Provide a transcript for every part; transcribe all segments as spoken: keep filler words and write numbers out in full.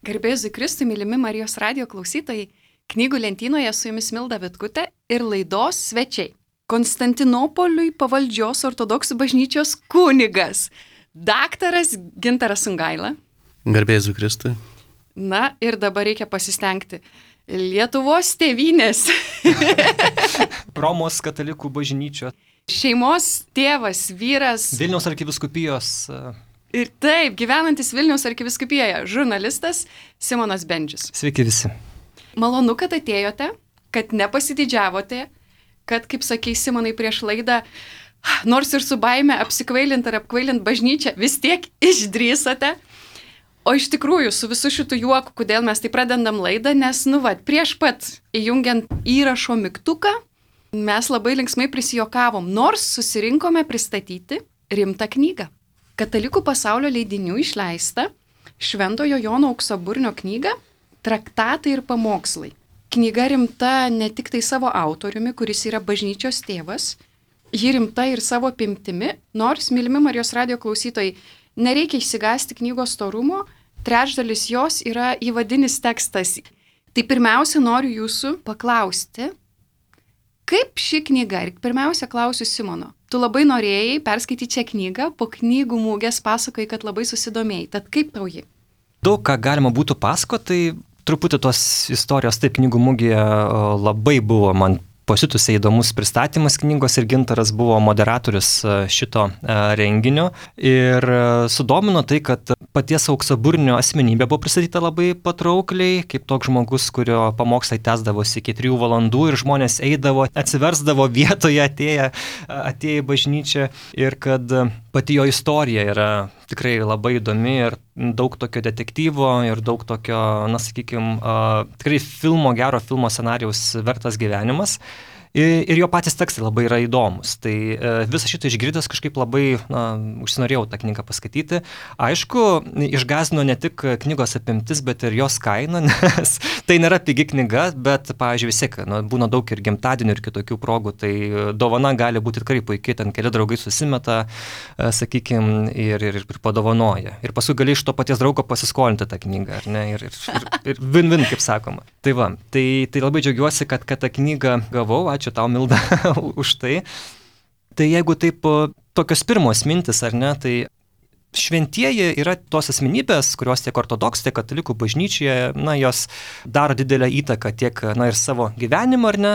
Garbėzui Kristui, mylimi Marijos radijo klausytojai, knygų lentynoje su jumis Milda Vitkutė ir laidos svečiai. Konstantinopoliui pavaldžios ortodoksų bažnyčios kunigas, daktaras Gintaras Sungaila. Garbėzui Kristui. Na ir dabar reikia pasistengti. Lietuvos tėvynės. Romos katalikų bažnyčio. Šeimos tėvas, vyras. Vilniaus arkivyskupijos. Ir taip, gyvenantis Vilniaus arkivyskupėje, žurnalistas Simonas Bendžius. Sveiki visi. Malonu, kad atėjote, kad nepasididžiavote, kad, kaip sakei Simonai prieš laidą, nors ir su baime apsikvailint ar apkvailint bažnyčią, vis tiek išdrįsote. O iš tikrųjų, su visu šitų juoku, kodėl mes tai pradedam laidą, nes, nu va, prieš pat įjungiant įrašo mygtuką, mes labai linksmai prisijokavom, nors susirinkome pristatyti rimtą knygą. Katalikų pasaulio leidinių išleista Šventojo Jono Auksaburnio knyga Traktatai ir pamokslai. Knyga rimta ne tik tai savo autoriumi, kuris yra bažnyčios tėvas, ji rimta ir savo apimtimi, nors, mylimi Marijos radijo klausytojai, nereikia išsigąsti knygos storumo, trečdalis jos yra įvadinis tekstas. Tai pirmiausia, noriu jūsų paklausti, kaip ši knyga, ir pirmiausia klausiu Simono, tu labai norėjai perskaityti šią knygą, po knygų mūgės pasakoji, kad labai susidomėjai, tad kaip tau ji? Daug ką galima būtų pasakoti, tai truputį tos istorijos, taip, knygų mūgėje labai buvo man pasitusiai įdomus pristatymas knygos ir Gintaras buvo moderatorius šito renginio ir sudomino tai, kad paties Auksaburnio asmenybė buvo pristatyta labai patraukliai, kaip toks žmogus, kurio pamokslai tęsdavosi iki trijų valandų ir žmonės eidavo, atsiversdavo vietoje atėję, atėję į bažnyčią ir kad pati jo istorija yra tikrai labai įdomi ir daug tokio detektyvo ir daug tokio, na sakykime, tikrai filmo, gero filmo scenarijaus vertas gyvenimas. Ir jo patys tekstai labai yra įdomus. Tai visą šitą išgirdęs kažkaip labai na, užsinorėjau tą knygą paskaityti. Aišku, išgąsdino ne tik knygos apimtis, bet ir jos kaina, nes tai nėra pigi knyga, bet, pavyzdžiui, vis tiek na, būna daug ir gimtadienių ir kitokių progų, tai dovana gali būti tikrai puikiai, ten keli draugai susimeta, sakykime, ir, ir, ir padovanoja. Ir paskui gali iš to paties draugo pasiskolinti tą knygą, ar ne? Ir, ir, ir, ir win-win, kaip sakoma. Tai va, tai, tai labai džiaugiuosi, kad, kad tą knygą gavau. Ačiū tau, Milda, už tai. Tai jeigu taip tokios pirmos mintis, ar ne, tai šventieji yra tos asmenybės, kurios tiek ortodoksų, tiek katalikų bažnyčioje, na, jos daro didelę įtaką tiek, na, ir savo gyvenimą, ar ne,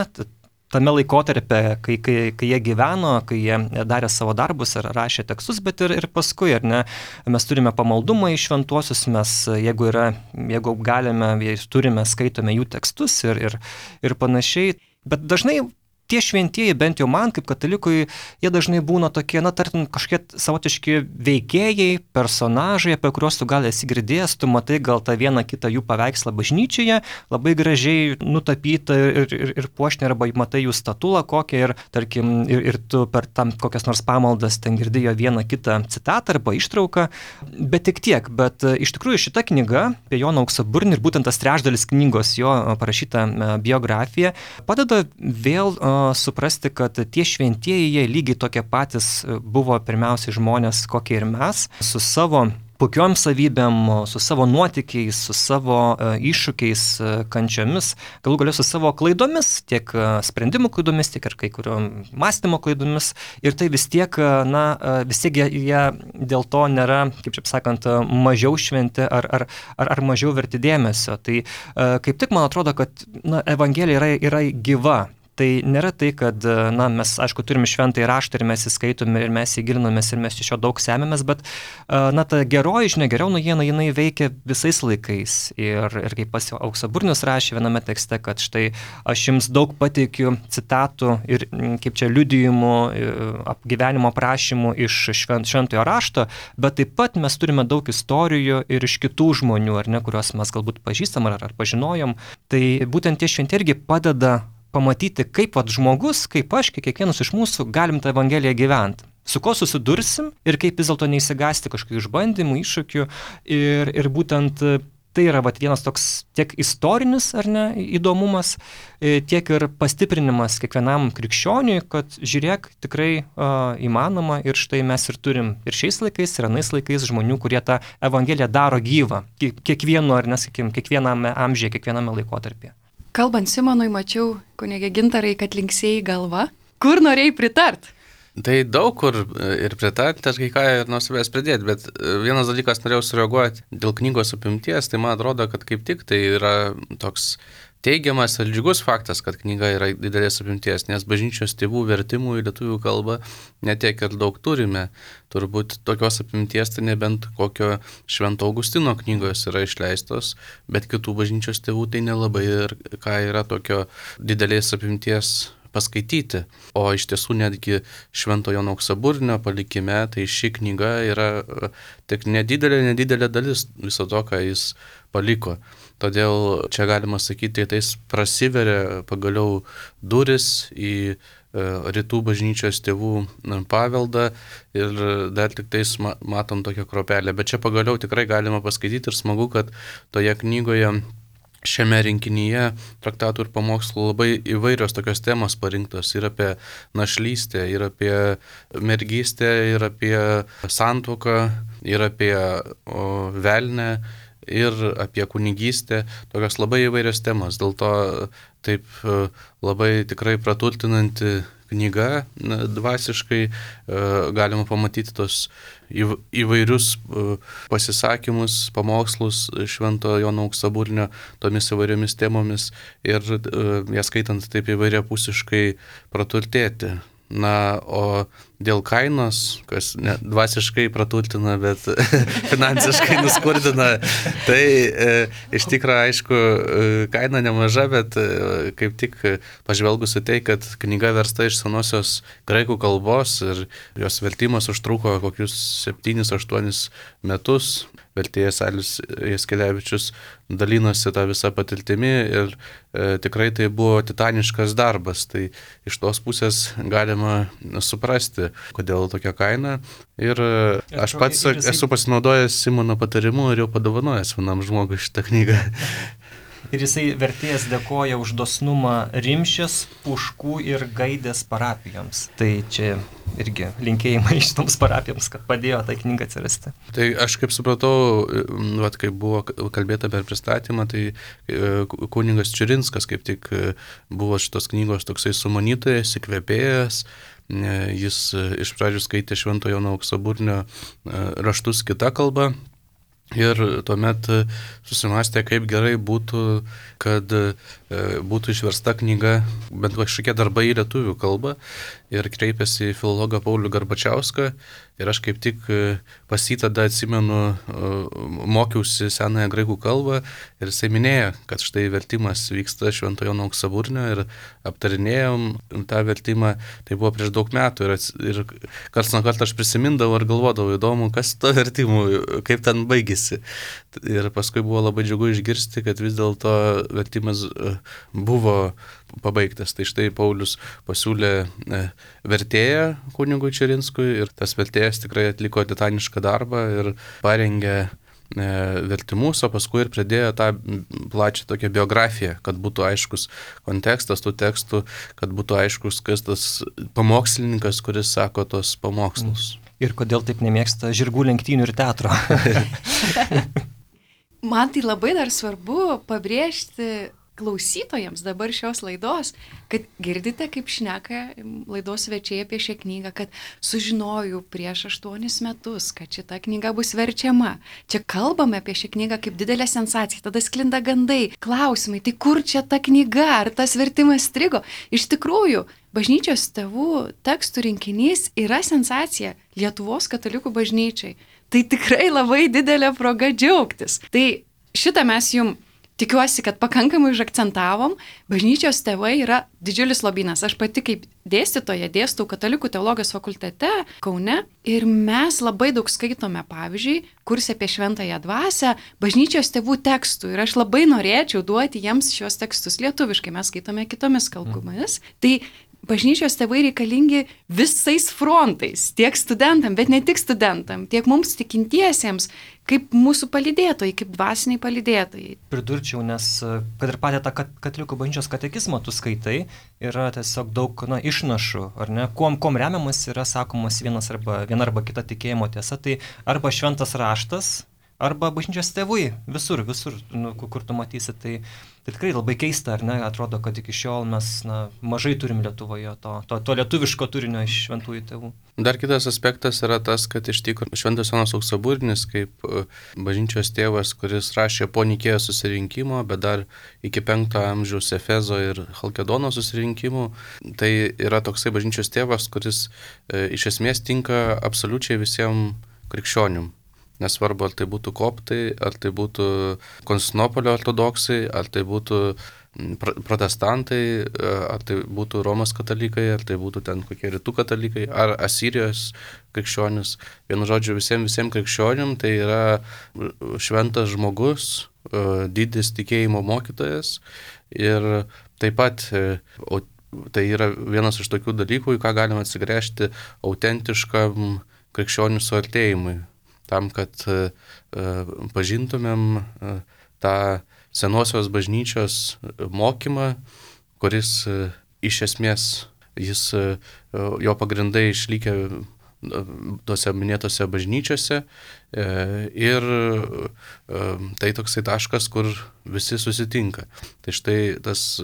tame laikotarpė, kai, kai, kai jie gyveno, kai jie darė savo darbus ar rašė tekstus, bet ir, ir paskui, ar ne, mes turime pamaldumą į šventuosius, mes, jeigu yra, jeigu galime, turime, skaitome jų tekstus ir, ir, ir panašiai. Bet dažnai tie šventieji, bent jau man kaip katalikui, jie dažnai būna tokie, na, tartum kažkiek savotiški veikėjai, personažai, apie kuriuos tu gal esi girdėjęs, tu matai gal tą vieną kitą jų paveikslą bažnyčioje, labai gražiai nutapytą ir, ir, ir puošnį, arba matai jų statulą kokią ir, tarkim, ir, ir tu per tam kokias nors pamaldas ten girdėjo vieną kitą citatą arba ištrauką, bet tik tiek. Bet iš tikrųjų šita knyga apie Joną Auksaburnį ir būtent tas trečdalis knygos jo parašyta biografija padeda vėl suprasti, kad tie šventieji, jie lygiai tokie patys buvo pirmiausiai žmonės, kokie ir mes, su savo puikiom savybėm, su savo nuotykiais, su savo uh, iššūkiais, uh, kančiomis, galų galiau su savo klaidomis, tiek uh, sprendimų klaidomis, tiek ir kai kuriuom mąstymo klaidomis. Ir tai vis tiek, uh, na, uh, vis tiek jie, jie dėl to nėra, kaip čia sakant, uh, mažiau šventi ar, ar, ar, ar mažiau verti dėmesio. Tai uh, kaip tik man atrodo, kad na, Evangelija yra, yra gyva. Tai nėra tai, kad, na, mes, aišku, turime šventąjį raštą ir mes įskaitome ir mes įgilinamės ir mes iš jo daug semėmės, bet, na, ta geroji žinia, geriau naujiena, jinai veikia visais laikais. Ir, ir kaip pas Auksaburnis rašė viename tekste, kad štai aš jums daug pateikiu citatų ir, kaip čia, liudijimų, gyvenimo aprašymų iš švent, šventojo rašto, bet taip pat mes turime daug istorijų ir iš kitų žmonių, ar ne, kuriuos mes galbūt pažįstam ar, ar pažinojom. Tai būtent tie šventieji irgi padeda pamatyti, kaip vat žmogus, kaip aš, kaip kiekvienas iš mūsų galim tą Evangeliją gyventi. Su ko susidursim ir kaip vis dėlto neįsigąsti kažkokių išbandymų, iššūkių ir, ir būtent tai yra vat, vienas toks tiek istorinis, ar ne, įdomumas, tiek ir pastiprinimas kiekvienam krikščioniui, kad žiūrėk, tikrai uh, įmanoma ir štai mes ir turim ir šiais laikais, ir anais laikais žmonių, kurie tą evangeliją daro gyvą, kiekvienu, ar nesakim, kiekviename amžiuje, kiekviename laikotarpyje. Kalbant Simonui, mačiau, kunigė Gintarai, kad linksėjai galva. Kur norėjai pritart? Tai daug kur ir pritarti, aš kai ką ir nuo savęs pridėti, bet vienas dalykas norėjau sureaguoti dėl knygos apimties, tai man atrodo, kad kaip tik tai yra toks teigiamas ir džiugus faktas, kad knyga yra didelės apimties, nes bažnyčios tėvų vertimų į lietuvių kalbą netiek ir daug turime. Turbūt tokios apimties tai nebent kokio Švento Augustino knygos yra išleistos, bet kitų bažnyčios tėvų tai nelabai ir ką yra tokio didelės apimties paskaityti. O iš tiesų netgi Švento Jono Auksaburnio palikime, tai ši knyga yra tik nedidelė, nedidelė dalis viso to, ką jis paliko. Todėl čia galima sakyti, tai prasiveria pagaliau duris į rytų bažnyčios tėvų paveldą ir dar tik tais matom tokią kropelę. Bet čia pagaliau tikrai galima paskaityti ir smagu, kad toje knygoje šiame rinkinyje traktatų ir pamokslų labai įvairios tokios temos parinktos ir apie našlystę, ir apie mergystę, ir apie santuoką, ir apie o, velnę, ir apie kunigystę, tokios labai įvairios temos. Dėl to taip labai tikrai praturtinanti knyga dvasiškai, galima pamatyti tos įvairius pasisakymus, pamokslus Švento Jono Auksaburnio tomis įvairiomis temomis ir jas skaitant taip įvairiapusiškai praturtėti. Na, o dėl kainos, kas ne, dvasiškai praturtina, bet finansiškai nuskurdina, tai e, iš tikrųjų, aišku, kaina nemaža, bet e, kaip tik pažvelgus į tai, kad knyga versta iš senosios graikų kalbos ir jos vertimas užtruko kokius septynis aštuonis metus, vertėjas Alius Jaskelevičius dalinosi tą visą patirtimi ir e, tikrai tai buvo titaniškas darbas. Tai iš tos pusės galima suprasti, kodėl tokia kaina. Ir e, aš pats ir jisai... esu pasinaudojęs Simono patarimu ir jau padovanojęs vienam žmogui šitą knygą. Ir jisai vertėjas dėkoja už dosnumą Rimšės, Puškų ir Gaidės parapijoms. Tai čia irgi linkėjimai šitoms parapijoms, kad padėjo tai knygą atsirasti. Tai aš kaip supratau, vat, kai buvo kalbėta per pristatymą, tai kunigas Čiurinskas kaip tik buvo šitos knygos toksai sumanytojas, įkvėpėjas. Jis iš pradžių skaitė Švento Jono Auksaburnio raštus kita kalba. Ir tuomet susimastė, kaip gerai būtų, kad būtų išversta knyga, bent kažkokie darbai į lietuvių kalbą. Ir kreipėsi į filologą Paulių Garbačiauską. Ir aš kaip tik pas jį tada atsimenu, mokiausi senąją graikų kalbą. Ir jisai minėjo, kad štai vertimas vyksta Švento Jono Auksaburnio ir aptarinėjom tą vertimą. Tai buvo prieš daug metų. Ir, ir karts nuo karto aš prisimindavau ir galvodavau, įdomu, kas to vertimu, kaip ten baigėsi. Ir paskui buvo labai džiugu išgirsti, kad vis dėlto vertimas buvo pabaigtas. Tai štai Paulius pasiūlė vertėją kunigui Čiurinskui ir tas vertėjas tikrai atliko titanišką darbą ir parengė vertimus, o paskui ir pridėjo tą plačią tokią biografiją, kad būtų aiškus kontekstas tų tekstų, kad būtų aiškus, kas tas pamokslininkas, kuris sako tos pamokslus. Ir kodėl taip nemėgsta žirgų lenktynių ir teatro. Man tai labai dar svarbu pabrėžti klausytojams dabar šios laidos, kad girdite, kaip šneka laidos svečiai apie šią knygą, kad sužinojau prieš aštuonis metus, kad šita knyga bus verčiama. Čia kalbame apie šią knygą kaip didelę sensaciją, tada sklinda gandai, klausimai, tai kur čia ta knyga, ar tas vertimas strigo? Iš tikrųjų, bažnyčios tėvų tekstų rinkinys yra sensacija Lietuvos katalikų bažnyčiai. Tai tikrai labai didelė proga džiaugtis. Tai šitą mes jums tikiuosi, kad pakankamai užakcentavom. Bažnyčios tėvai yra didžiulis lobynas. Aš pati kaip dėstytoja dėstau Katalikų teologijos fakultete Kaune ir mes labai daug skaitome, pavyzdžiui, kurse apie šventąją dvasią, bažnyčios tėvų tekstų. Ir aš labai norėčiau duoti jiems šios tekstus lietuviškai. Mes skaitome kitomis kalbomis. Tai bažnyčios tėvai reikalingi visais frontais, tiek studentam, bet ne tik studentam, tiek mums tikintiesiems, kaip mūsų palydėtojai, kaip dvasiniai palydėtojai. Pridurčiau, nes kad ir patį tą katalikų bažnyčios katekizmą tu skaitai, yra tiesiog daug na, išnašų, ar ne, kuom, kuom remiamas yra sakomas vienas arba, viena arba kita tikėjimo tiesa, tai arba šventas raštas, arba bažnyčios tėvai, visur, visur, nu, kur tu matysi, tai, tai tikrai labai keista, ar ne, atrodo, kad iki šiol mes na, mažai turim Lietuvoje to, to, to lietuviško turinio iš šventųjų tėvų. Dar kitas aspektas yra tas, kad iš tikrųjų Šventas Jonas Auksaburnis kaip bažnyčios tėvas, kuris rašė po Nikėjos susirinkimo, bet dar iki penkto amžiaus Efezo ir Chalkedono susirinkimų, tai yra toksai bažnyčios tėvas, kuris e, iš esmės tinka absoliučiai visiems krikščionim. Nesvarbu, ar tai būtų koptai, ar tai būtų Konstantinopolio ortodoksai, ar tai būtų protestantai, ar tai būtų Romos katalikai, ar tai būtų ten kokie rytų katalikai, ar Asirijos krikščionis. Vienu žodžiu, visiems visiems krikščionim tai yra šventas žmogus, didis tikėjimo mokytojas ir taip pat tai yra vienas iš tokių dalykų, į ką galima atsigręžti autentiškam krikščionių suartėjimui. Tam, kad uh, pažintumėm uh, tą senosios bažnyčios mokymą, kuris uh, iš esmės, jis, uh, jo pagrindai išlikę tose minėtose bažnyčiose ir tai toksai taškas, kur visi susitinka. Tai štai tas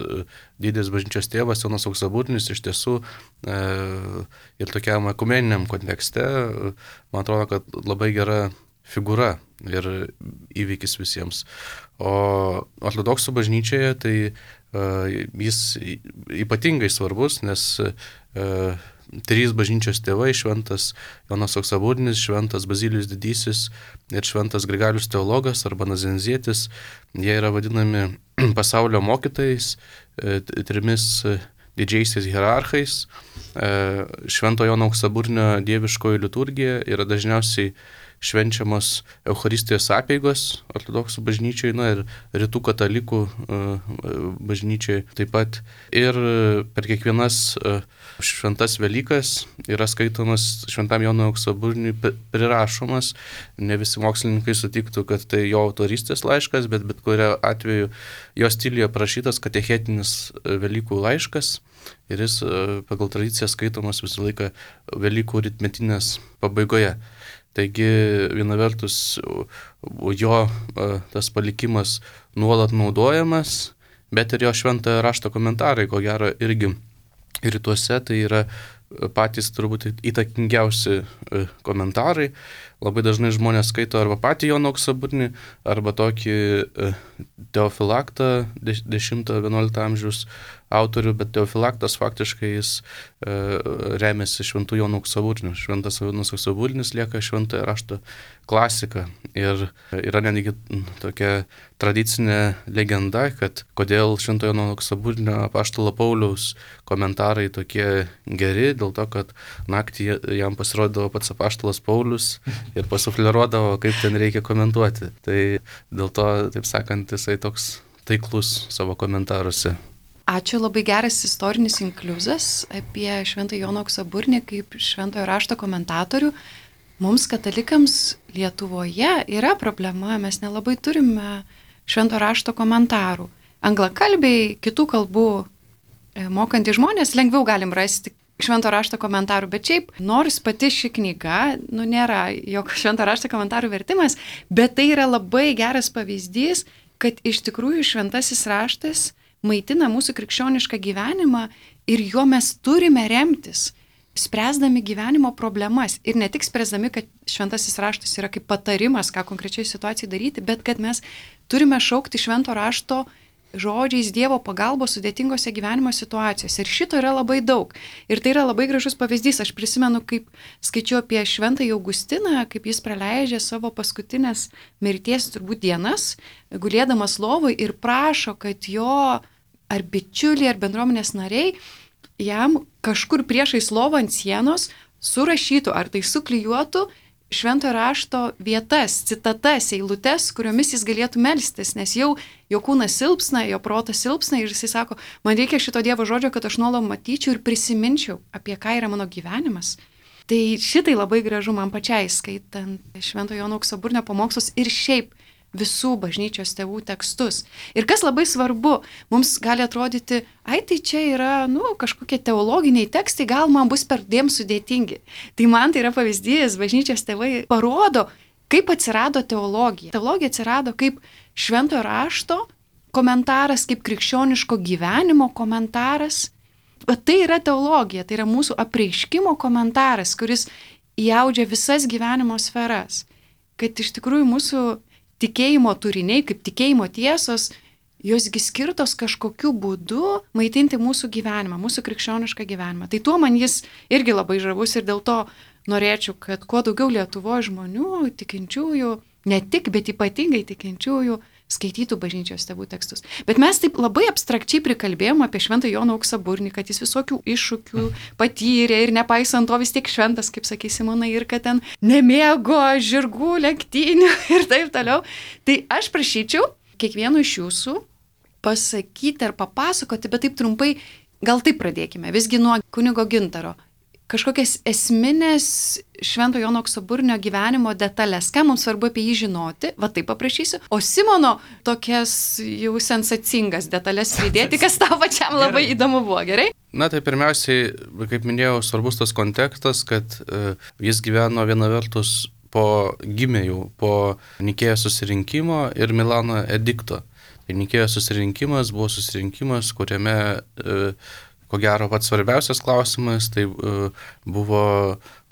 didis bažnyčios tėvas Jonas Auksaburnis iš tiesų ir tokiam ekumeniniam kontekste, man atrodo, kad labai gera figūra ir įvykis visiems. O ortodoksų bažnyčioje tai jis ypatingai svarbus, nes trys bažnyčios tėvai, šventas Jonas Auksaburnis, šventas Bazilijus Didysis ir šventas Grigalius Teologas arba Nazenzietis, jie yra vadinami pasaulio mokytojais, trimis didžiaisiais hierarchais. Švento Jono Auksaburnio dieviškoji liturgija yra dažniausiai švenčiamos Eucharistijos apeigos ortodoksų bažnyčiai, na ir rytų katalikų bažnyčiai taip pat. Ir per kiekvienas šventas Velykas yra skaitomas šventam Jonui Auksaburniui prirašomas. Ne visi mokslininkai sutiktų, kad tai jo autorystės laiškas, bet bet kurio atveju jo stiliuje parašytas katechetinis Velykų laiškas. Ir jis pagal tradiciją skaitomas visą laiką Velykų rytmetinės pabaigoje. Taigi viena vertus jo tas palikimas nuolat naudojamas, bet ir jo šventojo rašto komentarai, ko gero irgi rytuose, tai yra patys turbūt įtakingiausi komentarai. Labai dažnai žmonės skaito arba patį Joną Auksaburnį, arba tokį Teofilaktą dešimto-vienuolikto amžiaus autorių, bet Teofilaktas faktiškai jis e, remiasi šventų Jono Auksaburniu. Šventas Jonas Auksaburnis lieka šventojo rašto klasika. Ir yra netgi tokia tradicinė legenda, kad kodėl šventojo Jono Auksaburnio apaštalo Pauliaus komentarai tokie geri, dėl to, kad naktį jam pasirodavo pats apaštalas Paulius ir pasufleruodavo, kaip ten reikia komentuoti. Tai dėl to, taip sakant, jisai toks taiklus savo komentaruose. Ačiū, labai geras istorinis inkliuzas apie Šventąjį Joną Auksaburnį kaip šventojo rašto komentatorių. Mums katalikams Lietuvoje yra problema, mes nelabai turime šventojo rašto komentarų. Anglakalbiai, kitų kalbų mokantys žmonės lengviau galim rasti šventojo rašto komentarų, bet šiaip nors pati ši knyga, nu nėra jokio šventojo rašto komentarų vertimas, bet tai yra labai geras pavyzdys, kad iš tikrųjų šventasis raštas maitina mūsų krikščionišką gyvenimą ir juo mes turime remtis, spręsdami gyvenimo problemas. Ir ne tik spręsdami, kad šventasis raštas yra kaip patarimas, ką konkrečiai situacijai daryti, bet kad mes turime šaukti švento rašto žodžiais Dievo pagalbos sudėtingose gyvenimo situacijose. Ir šito yra labai daug. Ir tai yra labai gražus pavyzdys. Aš prisimenu, kaip skaičiu apie šventąjį Augustiną, kaip jis praleidžia savo paskutinės mirties turbūt dienas, gulėdamas lovoj ir prašo, kad jo ar bičiuliai, ar bendruomenės nariai jam kažkur priešais lovą ant sienos surašytų, ar tai suklijuotų šventojo rašto vietas, citatas, eilutes, kuriomis jis galėtų melstis, nes jau jo kūnas silpsna, jo protas silpsna ir jisai sako, man reikia šito Dievo žodžio, kad aš nuolat matyčiau ir prisiminčiau, apie ką yra mano gyvenimas. Tai šitai labai gražu man pačiai, skaitant Švento Jono Auksaburnio pamokslus ir šiaip visų bažnyčios tėvų tekstus. Ir kas labai svarbu, mums gali atrodyti, ai tai čia yra, nu, kažkokie teologiniai tekstai, gal man bus perdėm sudėtingi. Tai man tai yra pavyzdys, bažnyčios tėvai parodo, kaip atsirado teologija. Teologija atsirado kaip šventojo rašto komentaras, kaip krikščioniško gyvenimo komentaras. Bet tai yra teologija, tai yra mūsų apreiškimo komentaras, kuris įaudžia visas gyvenimo sferas. Kad iš tikrųjų mūsų tikėjimo turiniai, kaip tikėjimo tiesos, josgi skirtos kažkokiu būdu maitinti mūsų gyvenimą, mūsų krikščionišką gyvenimą. Tai tuo man jis irgi labai žavus ir dėl to norėčiau, kad kuo daugiau Lietuvoje žmonių, tikinčiųjų, ne tik, bet ypatingai tikinčiųjų, skaitytų bažnyčios tėvų tekstus. Bet mes taip labai abstrakčiai prikalbėjom apie Šventą Joną Auksaburnį, kad jis visokių iššūkių patyrė ir nepaisant to vis tiek šventas, kaip sakė Simonai, ir kad ten nemėgo žirgų, lenktynių ir taip toliau. Tai aš prašyčiau kiekvieno iš jūsų pasakyti ar papasakoti, bet taip trumpai, gal taip pradėkime, visgi nuo kunigo Gintaro. Kažkokias esminės Švento Jono Auksaburnio gyvenimo detalės, ką mums svarbu apie jį žinoti, va taip paprašysiu, o Simono tokias jau sensacingas detalės pridėti, kas tau pačiam labai gerai. Įdomu buvo, gerai? Na tai pirmiausiai, kaip minėjau, svarbus tas kontekstas, kad uh, jis gyveno viena vertus po gimėjų, po Nikėjos susirinkimo ir Milano edikto. Tai Nikėjos susirinkimas buvo susirinkimas, kuriame uh, ko gero pats svarbiausias klausimas, tai uh, buvo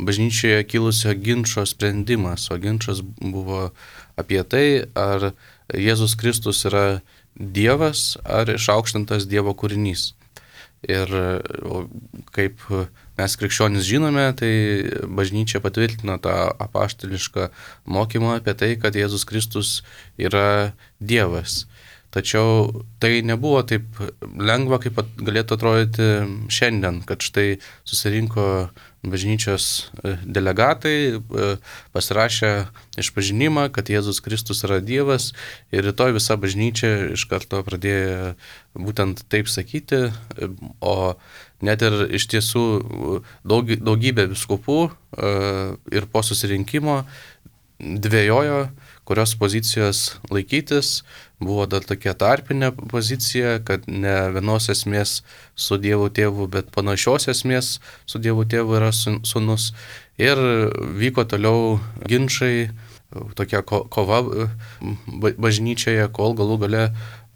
bažnyčioje kilusio ginčo sprendimas, o ginčas buvo apie tai, ar Jėzus Kristus yra Dievas ar išaukštintas Dievo kūrinys. Ir uh, kaip mes krikščionys žinome, tai bažnyčia patvirtino tą apaštališką mokymą apie tai, kad Jėzus Kristus yra Dievas. Tačiau tai nebuvo taip lengva, kaip galėtų atrodyti šiandien, kad štai susirinko bažnyčios delegatai, pasirašė išpažinimą, kad Jėzus Kristus yra Dievas ir rytoj visa bažnyčia iš karto pradėjo būtent taip sakyti, o net ir iš tiesų daug, daugybė vyskupų ir po susirinkimo dvejojo, kurios pozicijos laikytis. Buvo dar tokia tarpinė pozicija, kad ne vienos esmės su Dievu tėvu, bet panašios esmės su Dievu tėvu yra sūnus. Ir vyko toliau ginčai, tokia ko, kova bažnyčioje, kol galų gale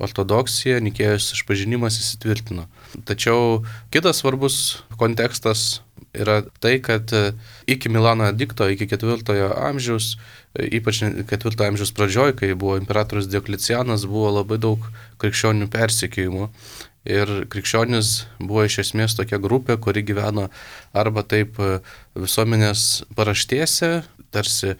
ortodoksija, Nikėjos išpažinimas įsitvirtino. Tačiau kitas svarbus kontekstas yra tai, kad iki Milano edikto, iki ketvirtojo amžiaus, ypač ketvirtojo amžiaus pradžioj, kai buvo imperatorius Dioklecianas, buvo labai daug krikščionių persekiojimų. Ir krikščionis buvo iš esmės tokia grupė, kuri gyveno arba taip visuomenės paraštėse, tarsi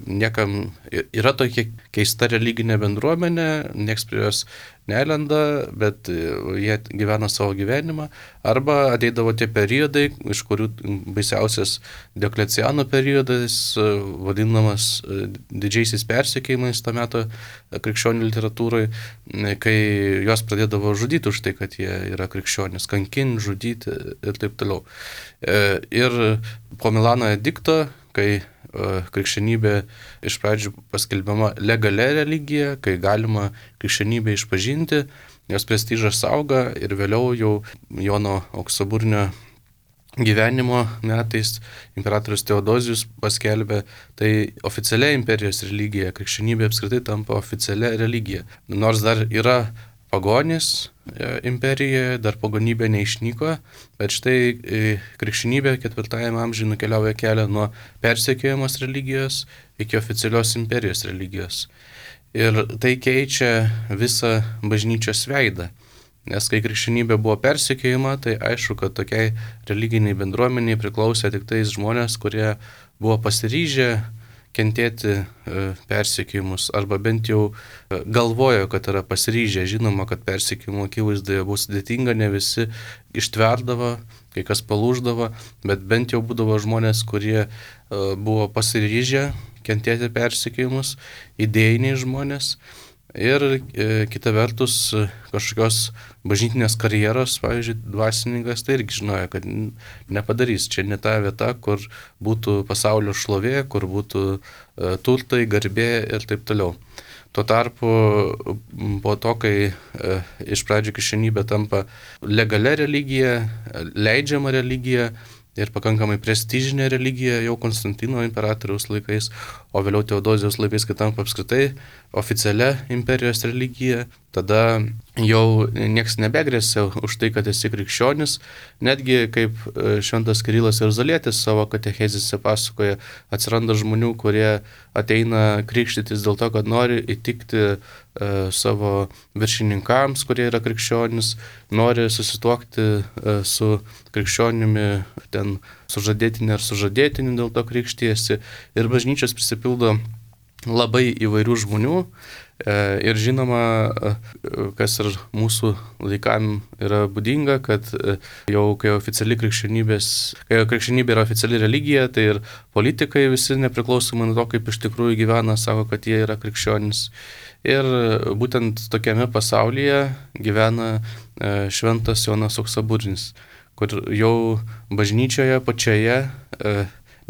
niekam yra tokia keista religinė bendruomenė, nieks prie jos nelenda, bet jie gyvena savo gyvenimą, arba ateidavo tie periodai, iš kurių baisiausias Diokleciano periodas, vadinamas didžiaisiais persekiojimais to meto krikščionių literatūrai, kai juos pradėdavo žudyti už tai, kad jie yra krikščionys, kankinti, žudyti ir taip toliau. Ir po Milano edikto, kai krikščionybė iš pradžių paskelbiama legalia religija, kai galima krikščionybę išpažinti, jos prestižas auga ir vėliau jau Jono Auksaburnio gyvenimo metais imperatorius Teodozijus paskelbė tai oficialia imperijos religija, krikščionybė apskritai tampa oficialia religija. Nors dar yra pagonys imperijoje, dar pagonybė neišnyko, bet štai krikščionybė ketvirtajame amžiuje nukeliauja kelią nuo persekiojamos religijos iki oficialios imperijos religijos. Ir tai keičia visą bažnyčios veidą. Nes kai krikščionybė buvo persekiojama, tai aišku, kad tokiai religiniai bendruomeniai priklausė tik tais žmonės, kurie buvo pasiryžę kentėti persekiojimus, arba bent jau galvojo, kad yra pasiryžę, žinoma, kad persekiojimo akivaizdoje bus sudėtinga, ne visi ištverdavo, kai kas palūždavo, bet bent jau būdavo žmonės, kurie buvo pasiryžę kentėti persekiojimus, idėjiniai žmonės. Ir e, kita vertus, kažkokios bažnytinės karjeros, pavyzdžiui, dvasininkas tai irgi žinojo, kad nepadarys. Čia ne ta vieta, kur būtų pasaulio šlovė, kur būtų e, turtai, garbė ir taip toliau. Tuo tarpu po to, kai e, iš pradžių krikščionybė tampa legalia religija, leidžiama religija, ir pakankamai prestižinė religija jau Konstantino imperatoriaus laikais, o vėliau Teodozijos laikais, kai tampa apskritai oficialia imperijos religija, tada jau nieks nebegrėsia už tai, kad esi krikščionis. Netgi kaip šventas Kirilas Jeruzalietis savo katechezėse pasakoja, atsiranda žmonių, kurie ateina krikštytis dėl to, kad nori įtikti e, savo viršininkams, kurie yra krikščionis, nori susituokti e, su krikščionimi, ten sužadėtinį ar sužadėtinį, dėl to krikštyjasi. Ir bažnyčios prisipildo labai įvairių žmonių. Ir žinoma, kas ir mūsų laikam yra būdinga, kad jau kai oficiali krikščionybės, kai krikščionybė yra oficiali religija, tai ir politikai visi nepriklausomai nuo to, kaip iš tikrųjų gyvena, sako, kad jie yra krikščionys. Ir būtent tokiame pasaulyje gyvena šventas Jonas Auksaburnis, kur jau bažnyčioje pačioje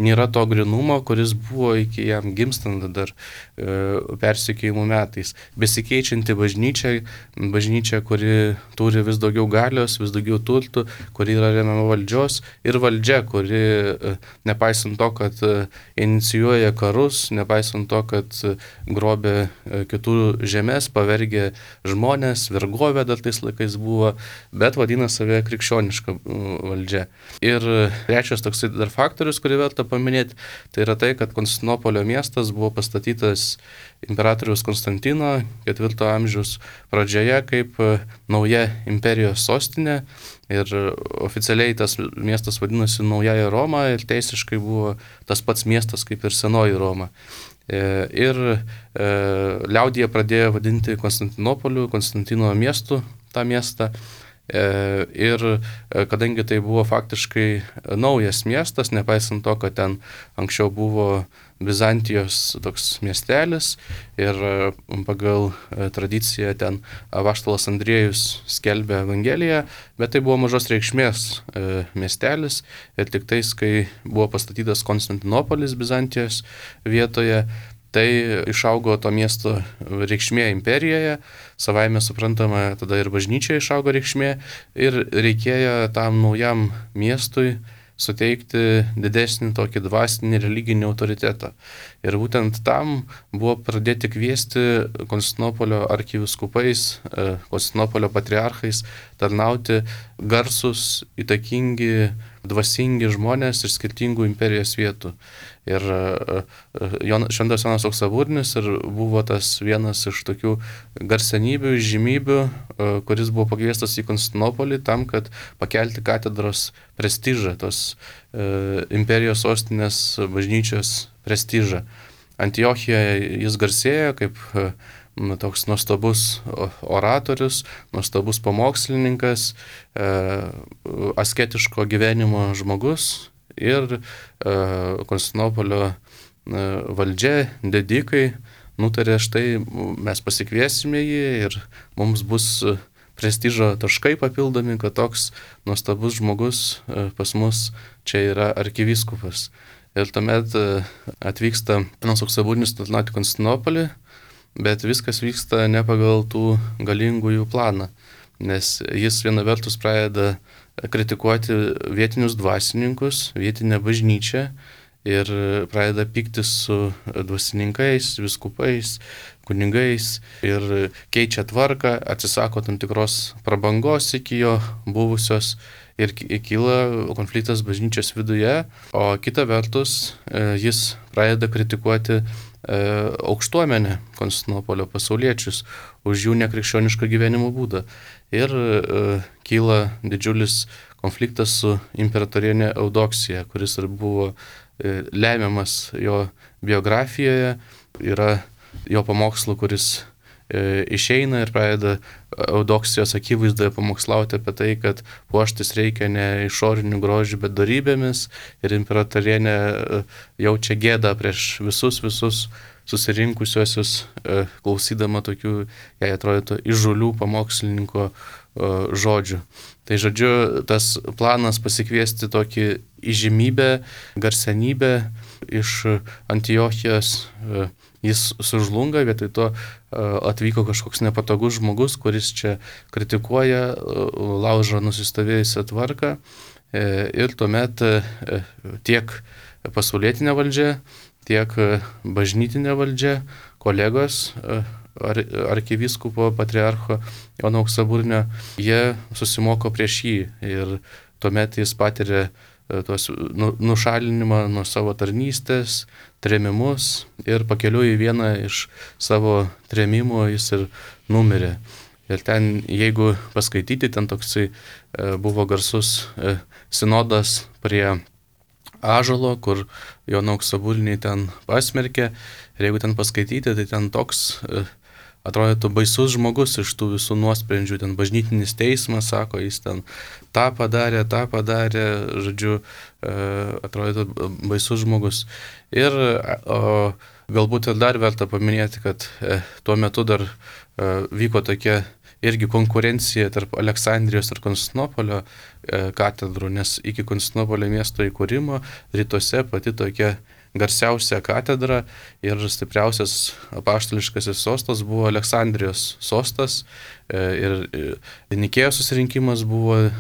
nėra to grinumo, kuris buvo iki jam gimstant dar e, persekiojimų metais. Besikeičianti bažnyčia, bažnyčia, kuri turi vis daugiau galios, vis daugiau turtų, kuri yra remiama valdžios, ir valdžia, kuri e, nepaisant to, kad e, inicijuoja karus, nepaisant to, kad e, grobė e, kitų žemės, pavergė žmonės, vergovė dar tais laikais buvo, bet vadina save krikščioniška valdžia. Ir trečias toksai dar faktorius, kurį verta paminėti, tai yra tai, kad Konstantinopolio miestas buvo pastatytas imperatoriaus Konstantino ketvirto amžiaus pradžioje kaip nauja imperijos sostinė, ir oficialiai tas miestas vadinosi Naująja Roma ir teisiškai buvo tas pats miestas kaip ir Senoji Roma. Ir e, liaudyje pradėjo vadinti Konstantinopoliu, Konstantino miestu tą miestą. Ir kadangi tai buvo faktiškai naujas miestas, nepaisant to, kad ten anksčiau buvo Bizantijos toks miestelis ir pagal tradiciją ten apaštalas Andriejus skelbė Evangeliją, bet tai buvo mažos reikšmės miestelis ir tik tais, kai buvo pastatytas Konstantinopolis Bizantijos vietoje, tai išaugo to miesto reikšmė imperijoje, savaime suprantama, tada ir bažnyčia išaugo reikšmė ir reikėjo tam naujam miestui suteikti didesnį tokį dvasinį religinį autoritetą. Ir būtent tam buvo pradėti kviesti Konstantinopolio arkivyskupais, Konstantinopolio patriarchais tarnauti garsus, įtakingi, dvasingi žmonės iš skirtingų imperijos vietų. Ir šventas Jonas Auksaburnis ir buvo tas vienas iš tokių garsenybių, žymybių, kuris buvo pakviestas į Konstantinopolį tam, kad pakelti katedros prestižą, tos imperijos sostinės bažnyčios prestižą. Antiochijoje jis garsėjo kaip toks nuostabus oratorius, nuostabus pamokslininkas, asketiško gyvenimo žmogus. Ir e, Konstantinopolio e, valdžia, didikai nutarė, štai mes pasikviesime jį ir mums bus prestižo taškai papildomi, kad toks nuostabus žmogus e, pas mus čia yra arkivyskupas. Ir tuomet e, atvyksta Jonas Auksaburnis tarnauti Konstantinopolį, bet viskas vyksta ne pagal tų galingųjų planą, nes jis viena vertus pradeda kritikuoti vietinius dvasininkus, vietinę bažnyčią ir pradeda pyktis su dvasininkais, viskupais, kunigais ir keičia tvarką, atsisako tam tikros prabangos iki jo buvusios ir kyla konfliktas bažnyčios viduje, o kita vertus jis pradeda kritikuoti aukštuomenę Konstantinopolio pasauliečius už jų nekrikščionišką gyvenimo būdą. Ir e, kyla didžiulis konfliktas su imperatorienė Eudoksija, kuris ir buvo e, lemiamas jo biografijoje. Yra jo pamokslų, kuris išeina ir pradeda Eudoksijos akivaizdoje pamokslauti apie tai, kad puoštis reikia ne išorinių grožių, bet darybėmis, ir imperatorienė jaučia gėdą prieš visus visus susirinkusiuosius, klausydama tokių, jai atrodytų, įžulių pamokslininko žodžių. Tai žodžiu, tas planas pasikviesti tokį įžymybę, garsenybę iš Antiochijos, jis sužlunga, vietoj to atvyko kažkoks nepatogus žmogus, kuris čia kritikuoja, laužo nusistovėjusią tvarką, ir tuomet tiek pasaulietinė valdžia, tiek bažnytinė valdžia, kolegos ar, arkivyskupo patriarcho Jono Auksaburnio, jie susimoko prieš jį ir tuomet jis patiria tos nušalinimą nuo savo tarnystės, trėmimus, ir pakeliui į vieną iš savo trėmimų jis ir numirė. Ir ten, jeigu paskaityti, ten toksai buvo garsus sinodas prie ąžuolo, kur Joną Auksaburnį ten pasmerkė, ir jeigu ten paskaityti, tai ten toks atrodytų baisus žmogus iš tų visų nuosprendžių, ten bažnytinis teismas, sako, jis ten tą padarė, tą padarė, žodžiu, atrodytų baisus žmogus. Ir o, galbūt ir dar verta paminėti, kad tuo metu dar vyko tokia irgi konkurencija tarp Aleksandrijos ir Konstantinopolio katedrų, nes iki Konstantinopolio miesto įkūrimo rytuose pati tokia garsiausia katedra ir stipriausias apaštališkasis sostas buvo Aleksandrijos sostas, ir Nikėjos susirinkimas buvo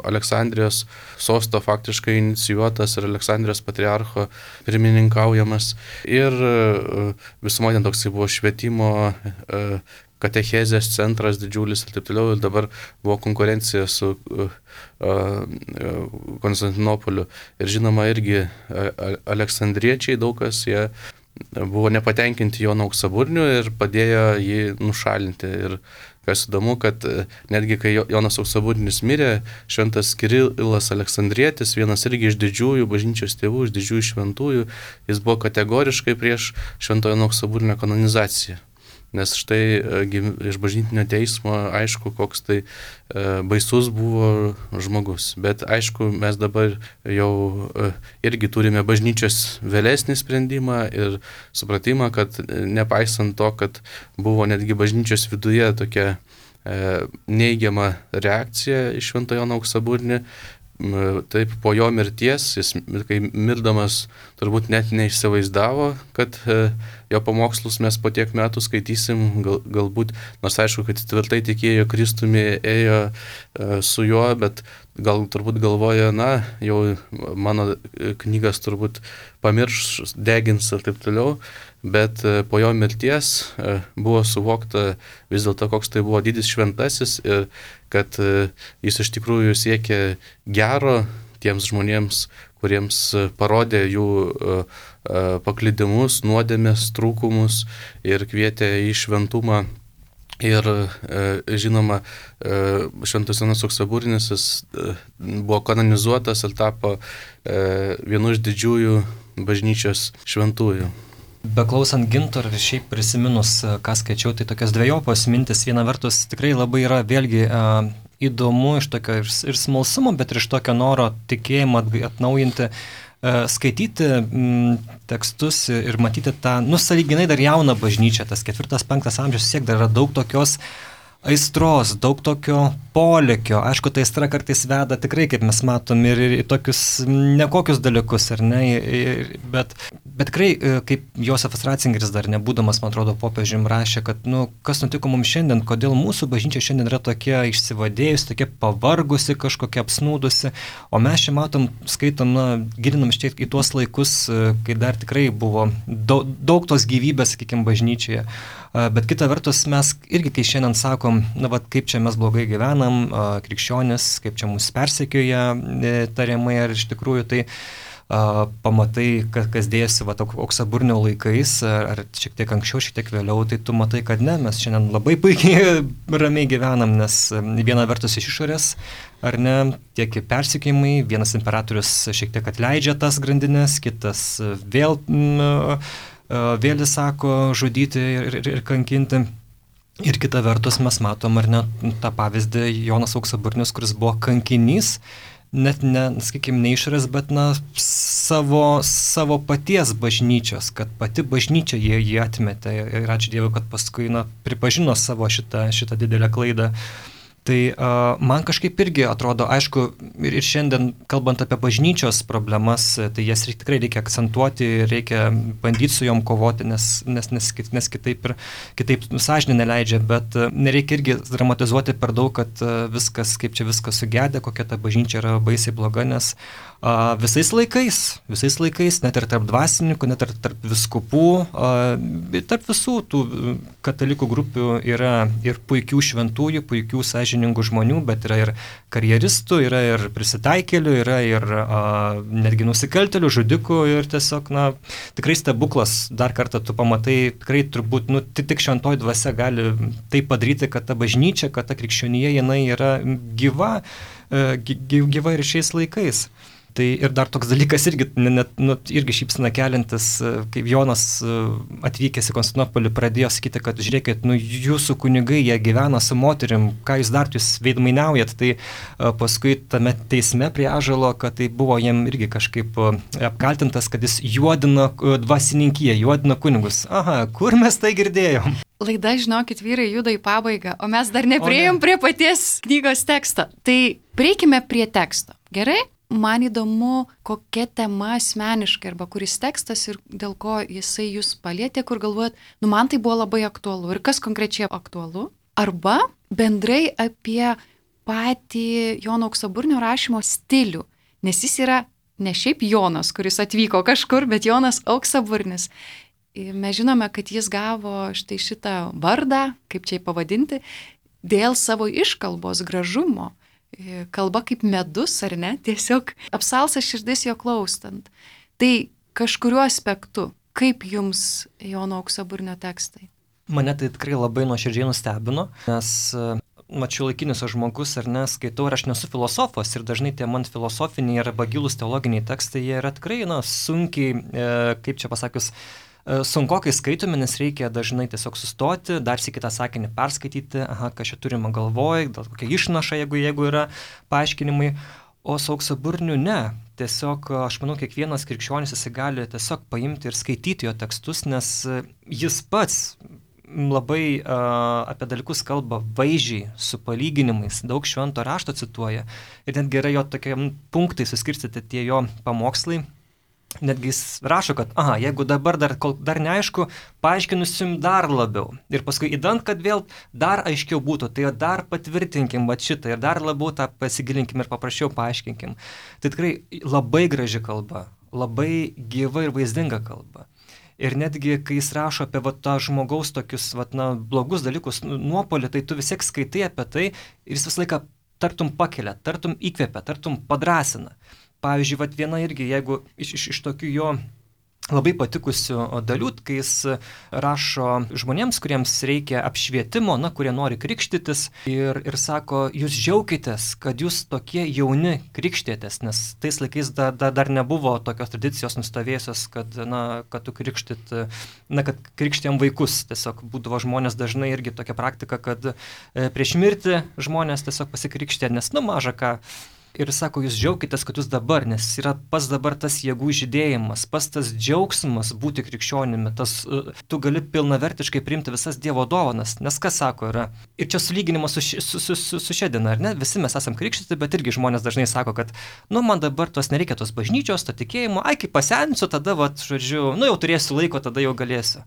Aleksandrijos sosto faktiškai inicijuotas ir Aleksandrijos patriarcho pirmininkaujamas, ir visumo ten toksai buvo švietimo katechezės centras didžiulis ir taip toliau, ir dabar buvo konkurencija su uh, uh, Konstantinopoliu. Ir žinoma, irgi uh, aleksandriečiai daug kas, jie buvo nepatenkinti Jono Auksaburnio ir padėjo jį nušalinti. Ir kas įdomu, kad uh, netgi kai Jonas Auksaburnis mirė, šventas Kirilas Aleksandrietis, vienas irgi iš didžiųjų bažnyčios tėvų, iš didžiųjų šventųjų, jis buvo kategoriškai prieš švento Jono Auksaburnio kanonizaciją. Nes štai iš bažnytinio teismo aišku, koks tai baisus buvo žmogus. Bet aišku, mes dabar jau irgi turime bažnyčios vėlesnį sprendimą ir supratimą, kad nepaisant to, kad buvo netgi bažnyčios viduje tokia neigiama reakcija iš švento Jono Auksaburnį, taip po jo mirties, jis kai mirdamas turbūt net neįsivaizdavo, kad jo pamokslus mes po tiek metų skaitysim, gal, galbūt, nors aišku, kad tvirtai tikėjo Kristumi, ėjo su juo, bet gal turbūt galvoja, na, jau mano knygas turbūt pamirš, degins ir taip toliau, bet po jo mirties buvo suvokta vis dėlto, koks tai buvo didis šventasis ir kad jis iš tikrųjų siekė gero tiems žmonėms, kuriems parodė jų paklydimus, nuodėmės, trūkumus ir kvietė į šventumą. Ir žinoma, šventas Jonas Auksaburnis buvo kanonizuotas ir tapo vienu iš didžiųjų bažnyčios šventųjų. Beklausant Gintaro ir šiaip prisiminus, ką skaičiau, tai tokios dvejopos mintis. Viena vertus tikrai labai yra vėlgi uh, įdomu iš tokio ir, ir smalsumo, bet ir iš tokio noro tikėjimą atnaujinti, uh, skaityti mm, tekstus ir matyti tą, nu, sąlyginai dar jauną bažnyčią, tas ketvirtas, penktas amžius, siek dar yra daug tokios aistros, daug tokio polėkio. Aišku, tai aistra kartais veda tikrai, kaip mes matom, ir į tokius nekokius dalykus, ar ne, bet, bet tikrai, kaip Josefas Ratzingeris dar nebūdamas, man atrodo, popiežium rašė, kad, nu, kas nutiko mums šiandien, kodėl mūsų bažnyčia šiandien yra tokia išsivadėjusi, tokia pavargusi, kažkokia apsnūdusi, o mes čia matom, skaitom, na, gilinam šiek tiek į tuos laikus, kai dar tikrai buvo daug, daug tos gyvybės, sakykime, bažnyčioje. Bet kita vertus, mes irgi, kai šiandien sakom, na, va, kaip čia mes blogai gyvenam, krikščionis, kaip čia mus persekioja tariamai, ar iš tikrųjų tai a, pamatai, kas, kas dėjosi va, Auksaburnio laikais, ar, ar šiek tiek anksčiau, šiek tiek vėliau, tai tu matai, kad ne, mes šiandien labai puikiai ramiai gyvenam, nes viena vertus iš išorės, ar ne, tiek persekiojimai, vienas imperatorius šiek tiek atleidžia tas grandinės, kitas vėl... M, vėl sako žudyti ir, ir, ir kankinti. Ir kita vertus mes matom, ar ne, tą pavyzdį Jonas Auksaburnis, kuris buvo kankinys, net ne, sakykime, ne išorės, bet na, savo, savo paties bažnyčios, kad pati bažnyčia jie jį atmetė ir ačiū Dievui, kad paskui na, pripažino savo šitą, šitą didelę klaidą. Tai uh, man kažkaip irgi atrodo, aišku, ir, ir šiandien, kalbant apie bažnyčios problemas, tai jas reik, tikrai reikia akcentuoti, reikia bandyti su jom kovoti, nes, nes, nes, nes kitaip ir kitaip sąžinė neleidžia, bet uh, nereikia irgi dramatizuoti per daug, kad uh, viskas, kaip čia viskas sugedė, kokia ta bažnyčia yra baisiai bloga, nes uh, visais laikais, visais laikais, net ir tarp dvasininkų, net ir tarp viskupų, uh, tarp visų tų katalikų grupių yra ir puikių šventųjų, puikių sąžinė žmonių, bet yra ir karjeristų, yra ir prisitaikėlių, yra ir a, netgi nusikaltėlių, žudikų ir tiesiog, na, tikrai stebuklas, dar kartą tu pamatai, tikrai turbūt, nu, tik šventoji dvasia gali tai padaryti, kad ta bažnyčia, kad ta krikščionija, jinai yra gyva, gyva ir šiais laikais. Tai ir dar toks dalykas irgi, net, nu, irgi šypsena keliantis, kaip Jonas atvykęs į Konstantinopolį pradėjo sakyti, kad žiūrėkit, nu, jūsų kunigai, jie gyvena su moterim, ką jūs dar, jūs veidmainiaujat, tai paskui tame teisme prie ąžuolo, kad tai buvo jam irgi kažkaip apkaltintas, kad jis juodina dvasininkiją, juodina kunigus. Aha, kur mes tai girdėjom? Laida, žinokit, vyrai juda į pabaigą, o mes dar nepriejom prie paties knygos teksto. Tai prieikime prie teksto, gerai? Man įdomu, kokia tema asmeniškai arba kuris tekstas ir dėl ko jisai jūs palietė, kur galvojat, nu man tai buvo labai aktualu ir kas konkrečiai aktualu. Arba bendrai apie patį Jono Auksaburnio rašymo stilių, nes jis yra ne šiaip Jonas, kuris atvyko kažkur, bet Jonas Auksaburnis. Mes žinome, kad jis gavo štai šitą vardą, kaip čia pavadinti, dėl savo iškalbos gražumo. Kalba kaip medus, ar ne? Tiesiog apsalsa širdis jo klaustant. Tai kažkuriuo aspektu, kaip jums Jono Auksaburnio tekstai? Mane tai tikrai labai nuoširdžiai nustebino, nes mačiau laikinis žmogus, ar ne, skaitau, ir aš nesu filosofas, ir dažnai tie man filosofiniai arba gilūs teologiniai tekstai, jie yra tikrai, na, sunkiai, e, kaip čia pasakius, sunkokai skaitomi, nes reikia dažnai tiesiog sustoti, dar sykį tą sakinį perskaityti, aha, ką čia turima galvoj, gal kokia išnaša, jeigu, jeigu yra paaiškinimai, o su Auksaburniu ne. Tiesiog, aš manau, kiekvienas krikščionis jis gali tiesiog paimti ir skaityti jo tekstus, nes jis pats labai uh, apie dalykus kalba vaizdžiai, su palyginimais, daug švento rašto cituoja, ir netgi yra jo tokie punktai suskirstyti tie jo pamokslai. Netgi jis rašo, kad, aha, jeigu dabar dar, dar neaišku, paaiškinusim dar labiau. Ir paskui įdant, kad vėl dar aiškiau būtų, tai dar patvirtinkim va šitą ir dar labiau tą pasigilinkim ir paprasčiau paaiškinkim. Tai tikrai labai graži kalba, labai gyva ir vaizdinga kalba. Ir netgi, kai jis rašo apie va, tą žmogaus tokius va, na, blogus dalykus, nuopolį, tai tu vis tiek skaitai apie tai ir jis visą laiką tartum pakelia, tartum įkvepia, tartum padrasina. Pavyzdžiui, vat viena irgi, jeigu iš, iš, iš tokių jo labai patikusių dalių, kai jis rašo žmonėms, kuriems reikia apšvietimo, na, kurie nori krikštytis, ir, ir sako, jūs džiaukitės, kad jūs tokie jauni krikštėtės, nes tais laikais dar, dar, dar nebuvo tokios tradicijos nustovėjusios, kad, na, kad tu krikštyt, na, kad krikštėm vaikus. Tiesiog būdavo žmonės dažnai irgi tokia praktika, kad prieš mirtį žmonės tiesiog pasikrikštė, nes, nu, maža ką. Ir sako, jūs džiaukitės, kad jūs dabar, nes yra pas dabar tas jėgų žydėjimas, pas tas džiaugsmas būti krikščionimi, tas, tu gali pilnavertiškai priimti visas Dievo dovanas, nes kas sako yra. Ir čia sulyginimas su, su, su, su, su šia diena, ar ne? Visi mes esam krikštyti, bet irgi žmonės dažnai sako, kad, nu, man dabar tos nereikia tos bažnyčios, to tikėjimo, ai, kai pasensiu, tada, va, žodžiu, nu, jau turėsiu laiko, tada jau galėsiu.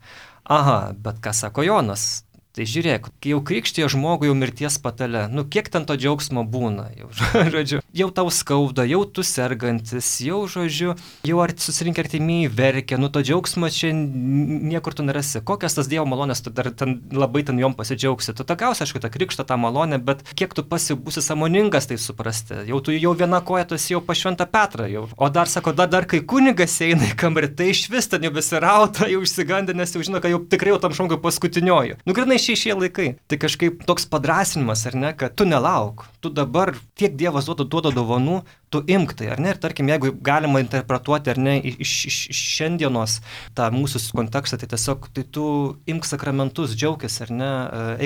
Aha, bet ką sako Jonas? Tai žiūrėk, kai jau krikštija žmogų jau mirties patale, nu kiek ten to džiaugsmo būna, jau, žodžiu, jau tau skauda, jau tu sergantis, jau, žodžiu, jau ar susirinkę artimieji verkia, nu to džiaugsmo čia niekur tu nerasi. Kokias tas Dievo malonės, tu dar ten labai ten jom pasidžiaugsi. Tu tokiausia, aišku, tą krikštą, tą malonę, bet kiek tu pasibūsi sąmoningas tai suprasti. Jau tu jau viena koja, tu esi jau pas Šventą Petrą jau. O dar sako, dar, dar kai kunigas eina į kambarį, tai iš vis ten jau besirauta, jau išsigandė, nes jau žino, kad jau tikrai jau tam žmogui paskutinioju. Nu, grinai šie šie laikai. Tai kažkaip toks padrasinimas, ar ne, kad tu nelauk, tu dabar tiek Dievas duoda, duoda dovanų, tu imk tai, ar ne? Ir tarkim, jeigu galima interpretuoti, ar ne, iš, iš, iš šiandienos tą mūsų kontekstą, tai tiesiog, tai tu imk sakramentus, džiaukis, ar ne,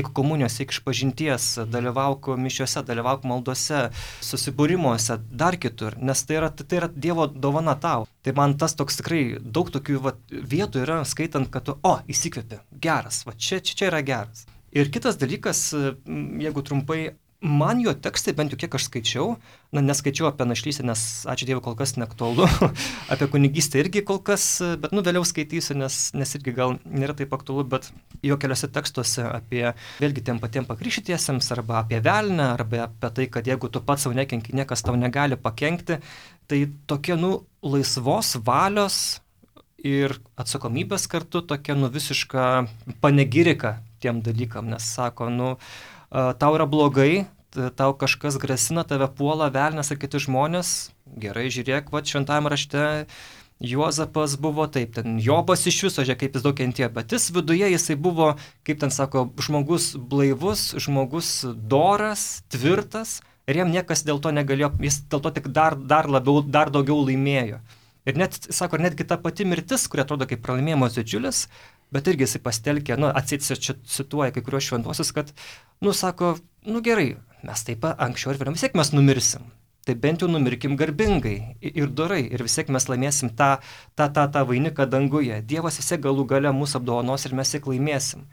eik komunijos, eik išpažinties, dalyvauk mišiuose, dalyvauk maldose, susibūrimuose, dar kitur, nes tai yra, tai yra Dievo dovana tau. Tai man tas toks tikrai daug tokių va, vietų yra, skaitant, kad tu, o, įsikvėpi, geras, va čia, čia, čia yra geras. Ir kitas dalykas, jeigu trumpai, man jo tekstai, bent jau kiek aš skaičiau, na, neskaičiau apie našlystę, nes, ačiū Dievui, kol kas neaktualu, apie kunigystę irgi kol kas, bet, nu, vėliau skaitysiu, nes, nes irgi gal nėra taip aktualu, bet jo keliose tekstuose apie, vėlgi, tiem patiem pakrikštytiesiems, arba apie velnę, arba apie tai, kad jeigu tu pats savo nekenki, niekas tau negali pakenkti, tai tokie, nu, laisvos valios ir atsakomybės kartu tokia, nu, visiška panegirika tiem dalykam, nes sako, nu, tau yra blogai, tau kažkas grasina, tave puola velnias ar kiti žmonės, gerai, žiūrėk, va, šventajame rašte Juozapas buvo taip, ten Jobas iš viso, žiūrėk, kaip jis daug kentėjo, bet jis viduje, jisai buvo, kaip ten sako, žmogus blaivus, žmogus doras, tvirtas, ir jam niekas dėl to negalėjo, jis dėl to tik dar, dar labiau, dar daugiau laimėjo. Ir net, sako, netgi ta pati mirtis, kuri atrodo kaip pralaimėjimas didžiulis, bet irgi jisai pastelkė, nu, atseit cituoja kai kuriuos šventuosius, kad, nu, sako, nu gerai, mes taip anksčiau ir vėliau vis tiek mes numirsim. Tai bent jau numirkim garbingai ir dorai ir vis tiek mes laimėsim tą, tą, tą, tą vainiką danguje. Dievas vis tiek galų gale mūsų apdovanos ir mes tiek laimėsim.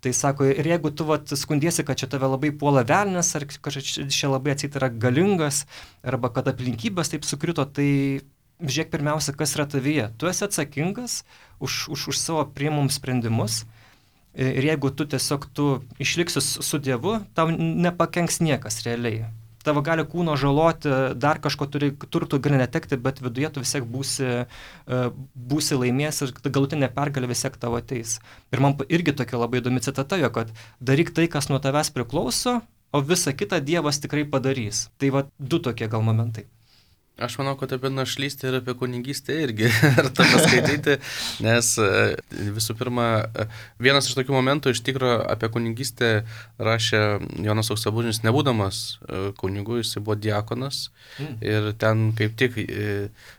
Tai sako, ir jeigu tu vat, skundiesi, kad čia tave labai puola velnias, ar kažkaip čia labai atseit yra galingas, arba kad aplinkybės taip sukrito, tai žiūrėk pirmiausia, kas yra tavyje. Tu esi atsakingas už, už, už savo priimamus sprendimus ir jeigu tu tiesiog tu išliksi su Dievu, tau nepakenks niekas realiai. Tavo gali kūno žaloti, dar kažko turi, turtų gali netekti, bet viduje tu vis tiek būsi, būsi laimės ir galutinė pergalė vis tiek tavo ateis. Ir man irgi tokia labai įdomi citata jo, kad daryk tai, kas nuo tavęs priklauso, o visą kitą Dievas tikrai padarys. Tai va du tokie gal momentai. Aš manau, kad apie našlystę ir apie kunigystę irgi verta paskaityti, nes visų pirma, vienas iš tokių momentų iš tikro apie kunigystę rašė Jonas Auksaburnis, nebūdamas kunigu, jis buvo diakonas mm. ir ten kaip tik,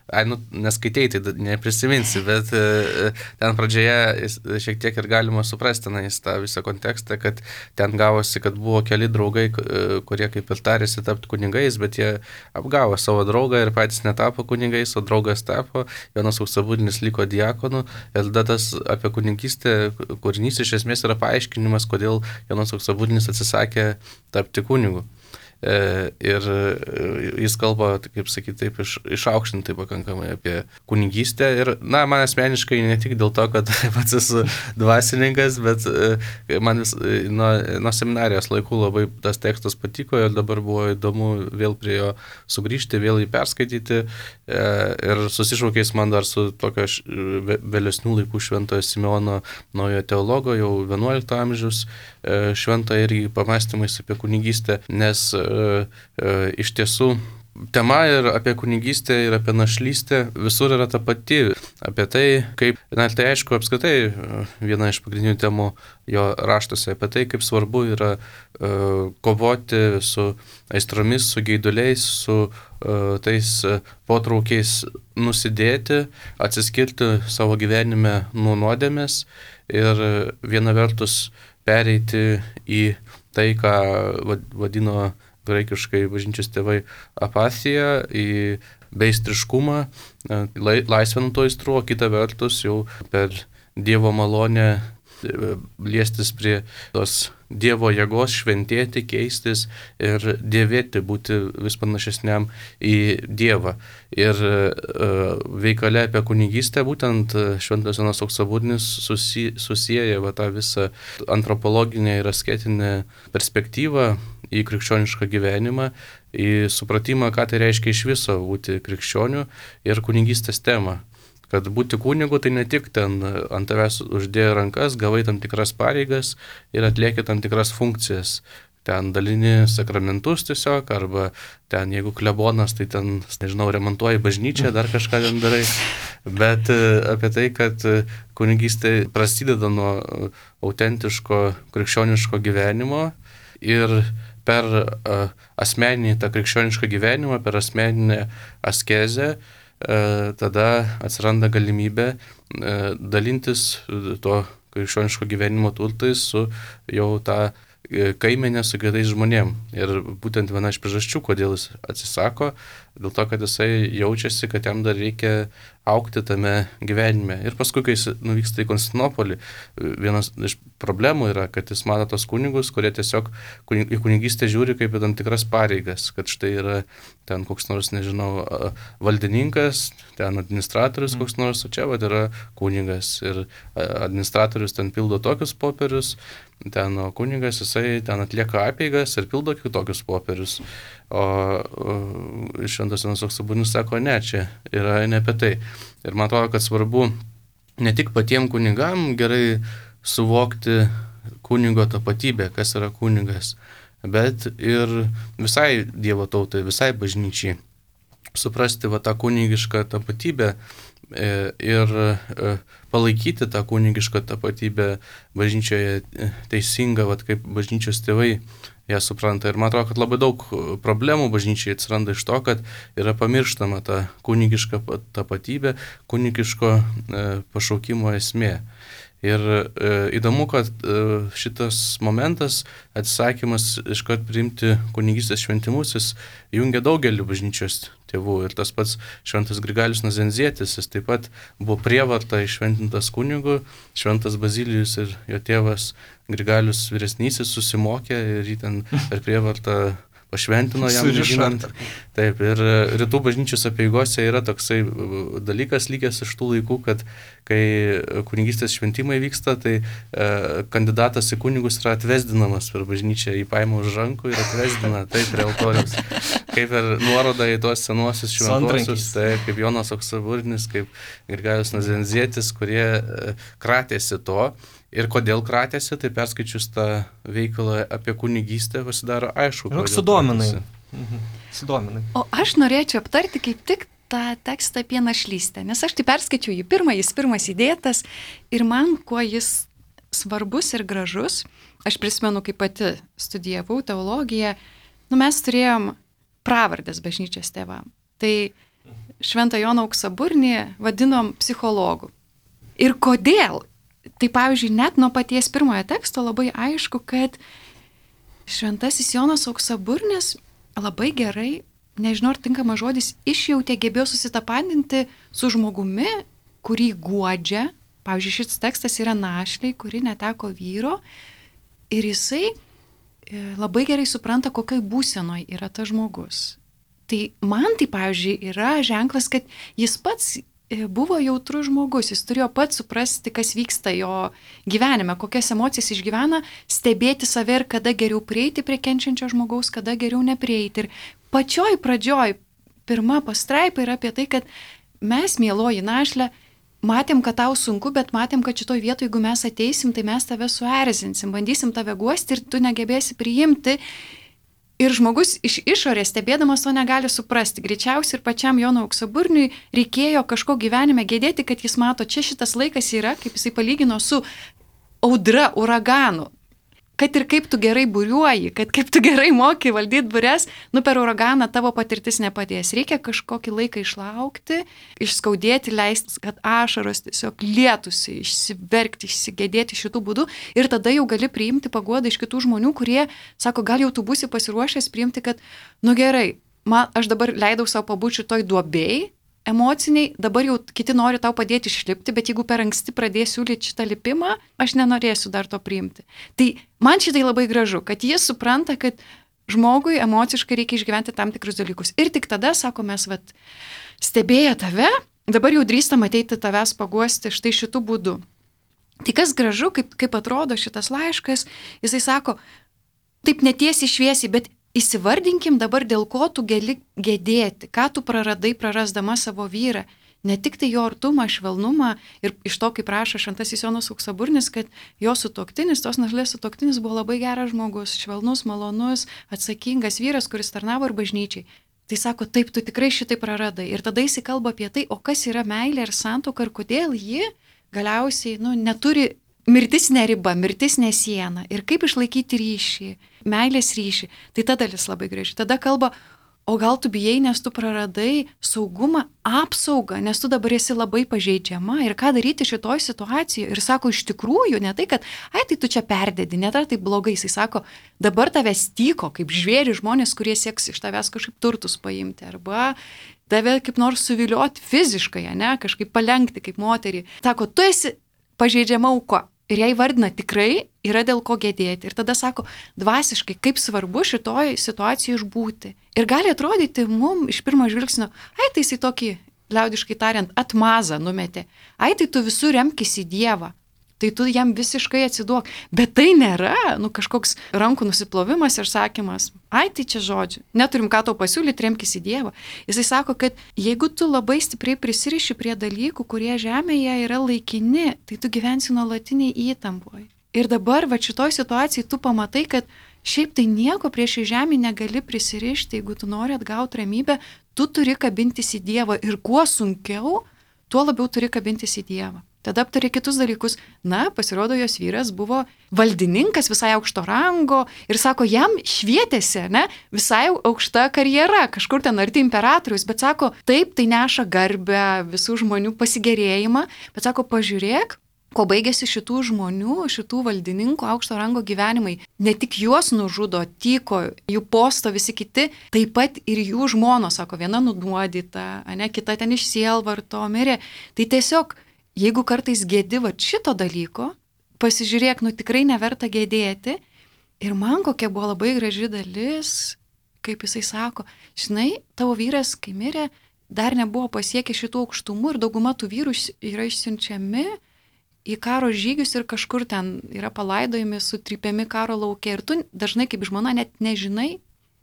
ai, nu, neskaitėjai, tai neprisiminsi, bet ten pradžioje šiek tiek ir galima suprasti na, tą visą kontekstą, kad ten gavosi, kad buvo keli draugai, kurie kaip ir tarėsi tapti kunigais, bet jie apgavo savo draugą ir patys netapo kunigais, o draugas tapo, Jonas Auksaburnis liko diakonu ir tada tas apie kunigystę kūrinys iš esmės yra paaiškinimas, kodėl Jonas Auksaburnis atsisakė tapti kunigu. Ir jis kalba, kaip sakyti, taip iš, išaukštintai pakankamai apie kunigystę ir, na, man asmeniškai ne tik dėl to, kad pats esu dvasininkas, bet man vis, nuo, nuo seminarijos laikų labai tas tekstas patiko ir dabar buvo įdomu vėl prie jo sugrįžti, vėl jį perskaityti ir susišaukės man dar su tokio vėlesnių laikų šventojo Simeono naujo teologo, jau vienuolikto amžiaus švento irgi pamastymais apie kunigystę, nes iš tiesų tema ir apie kunigystę ir apie našlystę visur yra ta pati. Apie tai, kaip, na, tai aišku, apskritai viena iš pagrindinių temų jo raštuose, apie tai, kaip svarbu yra uh, kovoti su aistromis, su geiduliais, su uh, tais uh, potraukiais nusidėti, atsiskirti savo gyvenime nuo nuodėmės ir viena vertus pereiti į tai, ką vadino graikiškai bažnyčios tėvai apatija, į beistriškumą, laisvę nuo to aistrų, o kita vertus jau per Dievo malonę liestis prie tos Dievo jėgos, šventėti, keistis ir dievėti, būti vis panašesniam į Dievą. Ir uh, veikale apie kunigystę būtent šventas Jonas Auksaburnis susi, susieja va, tą visą antropologinę ir asketinę perspektyvą į krikščionišką gyvenimą, į supratimą, ką tai reiškia iš viso būti krikščioniu ir kunigystės temą. Kad būti kunigu tai ne tik ten ant tavęs uždėjo rankas, gavai tam tikras pareigas ir atlieki tam tikras funkcijas. Ten dalini sakramentus tiesiog, arba ten jeigu klebonas, tai ten, nežinau, remontuoji bažnyčią, dar kažką ten darai. Bet apie tai, kad kunigystė prasideda nuo autentiško krikščioniško gyvenimo ir per uh, asmeninį tą krikščionišką gyvenimą, per asmeninę askezę, uh, tada atsiranda galimybė uh, dalintis to krikščioniško gyvenimo turtais su jau tą kaimenę su kitais žmonėm. Ir būtent viena iš priežasčių, kodėl jis atsisako, dėl to, kad jisai jaučiasi, kad jam dar reikia augti tame gyvenime. Ir paskui, kai jis nuvyksta į Konstantinopolį, vienas iš problemų yra, kad jis mato tos kunigus, kurie tiesiog į kunigystę žiūri kaip į tam tikras pareigas, kad štai yra ten koks nors, nežinau, valdininkas, ten administratorius koks nors, o čia vat yra kunigas. Ir administratorius ten pildo tokius popierius, ten o kunigas jisai ten atlieka apeigas ir pildo kitokius popierius. O, o Šventas Jonas Auksaburnis sako, ne, čia yra ne apie tai. Ir man atrodo, kad svarbu ne tik patiem kunigam gerai suvokti kunigo tapatybę, kas yra kunigas, bet ir visai Dievo tautai, visai bažnyčiai suprasti va tą kunigišką tapatybę ir palaikyti tą kunigišką tapatybę bažnyčioje teisingą, va kaip bažnyčios tėvai ją supranta. Ir man atrodo, kad labai daug problemų bažnyčiai atsiranda iš to, kad yra pamirštama ta kunigiška tapatybė, kunigiško pašaukimo esmė. Ir e, įdomu, kad e, šitas momentas, atsisakymas iškart priimti kunigystės šventimus, jis jungia daugelį bažnyčios tėvų. Ir tas pats Šventas Grigalius Nazenzietis, jis taip pat buvo prievarta iššventintas kunigu, Šventas Bazilijus ir jo tėvas Grigalius vyresnysis susimokė ir jį ten per prievartą pašventino jam žinant. Taip, ir rytų bažnyčios apeigose yra toksai dalykas likęs iš tų laikų, kad kai kunigystės šventimai vyksta, tai e, kandidatas į kunigus yra atvesdinamas per bažnyčią, jį paima už rankų ir atvesdina, taip, prie altoriaus. Kaip ir nuoroda į tuos senuosius šventuosius, taip, kaip Jonas Auksaburnis, kaip Grigalius Nazenzietis, kurie e, kratėsi to. Ir kodėl kratėsi, tai perskaičius tą veikalą apie kunigystę pasidaro aišku. Ir sudominai. Mhm. Sudominai. O aš norėčiau aptarti kaip tik tą tekstą apie našlystę, nes aš tai perskaičiau jį pirmą, jis pirmas įdėtas ir man, kuo jis svarbus ir gražus, aš prisimenu, kaip pati studijavau teologiją, nu mes turėjom pravardės bažnyčios tėvam. Tai Šventą Joną Auksaburnį vadinom psichologu. Ir kodėl? Tai pavyzdžiui, net nuo paties pirmojo teksto labai aišku, kad Šventasis Jonas Auksaburnis labai gerai, nežinau ar tinkamas žodis, išjautė, gebėjo susitapatinti su žmogumi, kurį guodžia. Pavyzdžiui, šis tekstas yra našlei, kuri neteko vyro ir jisai labai gerai supranta, kokioj būsenoj yra tas žmogus. Tai man tai, pavyzdžiui, yra ženklas, kad jis pats buvo jautrus žmogus, jis turėjo pats suprasti, kas vyksta jo gyvenime, kokias emocijas išgyvena, stebėti save ir kada geriau prieiti prie kenčiančio žmogaus, kada geriau neprieiti. Ir pačioj pradžioj, pirma pastraipa yra apie tai, kad mes, mieloji našlė, matėm, kad tau sunku, bet matėm, kad šitoj vietoje, jeigu mes ateisim, tai mes tave suerzinsim, bandysim tave guosti ir tu negebėsi priimti. Ir žmogus iš išorės stebėdamas to negali suprasti. Greičiausiai ir pačiam Jonui Auksaburniui reikėjo kažko gyvenime gėdėti, kad jis mato, čia šitas laikas yra, kaip jisai palygino su audra, uraganu. Kad ir kaip tu gerai buriuoji, kad kaip tu gerai moki valdyti bures, nu per uraganą tavo patirtis nepadės. Reikia kažkokį laiką išlaukti, išskaudėti, leisti, kad ašaros tiesiog lietųsi, išsiverkti, išsigėdėti šitų būdų ir tada jau gali priimti paguodą iš kitų žmonių, kurie sako, gal jau tu būsi pasiruošęs priimti, kad, nu gerai, man, aš dabar leidau savo pabūti šitoj duobėjai, emociniai, dabar jau kiti nori tau padėti išlipti, bet jeigu per anksti pradėsiu siūlyti šitą lipimą, aš nenorėsiu dar to priimti. Tai man šitai labai gražu, kad jis supranta, kad žmogui emociškai reikia išgyventi tam tikrus dalykus. Ir tik tada, sako, mes vat, stebėję tave, dabar jau drįstam ateiti tavęs paguosti štai šitų būdų. Tai kas gražu, kaip, kaip atrodo šitas laiškas, jisai sako, taip netiesiai šviesiai, bet įsivardinkim dabar, dėl ko tu gali gedėti, ką tu praradai prarasdama savo vyrą. Ne tik tai jo artumą, švelnumą ir iš to, kaip rašo Šventasis Jonas Auksaburnis, kad jo sutuoktinis, tos našlės sutuoktinis buvo labai geras žmogus, švelnus, malonus, atsakingas vyras, kuris tarnavo ir bažnyčiai. Tai sako, taip, tu tikrai šitai praradai. Ir tada jis kalba apie tai, o kas yra meilė ir santuoka ir kodėl ji galiausiai nu, neturi. Mirtis ne riba, mirtis ne siena. Ir kaip išlaikyti ryšį. meilės ryšį. Tai ta dalis labai graži. Tada kalba, o gal tu bijai, nes tu praradai saugumą, apsaugą, nes tu dabar esi labai pažeidžiama ir ką daryti šitoj situacijoje. Ir sako, iš tikrųjų, ne tai, kad, ai, tai tu čia perdedi, net ar tai blogai. Jis sako, dabar tavęs tyko, kaip žvėri žmonės, kurie sieks iš tavęs kažkaip turtus paimti, arba tave kaip nors suvilioti fiziškai, ne, kažkaip palenkti kaip moterį. Sako, tu esi pažeidžiama auka. Ir jai vardina, tikrai yra dėl ko gėdėti. Ir tada sako, dvasiškai, kaip svarbu šitoj situacijoje išbūti. Ir gali atrodyti mum iš pirmo žvilgsnio, ai, tai jisai tokį, liaudiškai tariant, atmazą numetė. Ai, tai tu visur remkis į Dievą. Tai tu jam visiškai atsiduok. Bet tai nėra, nu, kažkoks rankų nusiplovimas ir sakymas, ai, tai čia žodžiu, neturim ką tau pasiūlyti, remkis į Dievą. Jisai sako, kad jeigu tu labai stipriai prisiriši prie dalykų, kurie žemėje yra laikini, tai tu gyvensi nuolatiniai įtampoje. Ir dabar, va, šitoj situacijai tu pamatai, kad šiaip tai nieko prieš į žemę negali prisirišti, jeigu tu nori atgauti ramybę, tu turi kabintis į Dievą. Ir kuo sunkiau, tuo labiau turi kabintis į Dievą. Tada aptarė kitus dalykus. Na, pasirodo, jos vyras buvo valdininkas visai aukšto rango ir sako, jam švietėsi, ne, visai aukšta karjera, kažkur ten arti imperatorius, bet sako, taip, tai neša garbę, visų žmonių pasigėrėjimą, bet sako, pažiūrėk, ko baigėsi šitų žmonių, šitų valdininkų aukšto rango gyvenimai. Ne tik juos nužudo, tyko, jų posto visi kiti, taip pat ir jų žmonos, sako, viena nunuodyta, ne, kita ten iš sielvarto mirė. Tai tiesiog jeigu kartais gėdi va šito dalyko, pasižiūrėk, nu tikrai neverta gėdėti. Ir man kokia buvo labai graži dalis, kaip jisai sako, žinai, tavo vyras, kai mirė, dar nebuvo pasiekę šitų aukštumų ir dauguma tų vyrų yra išsiunčiami į karo žygius ir kažkur ten yra palaidojami, sutrypiami karo lauke. Ir tu dažnai kaip žmona net nežinai,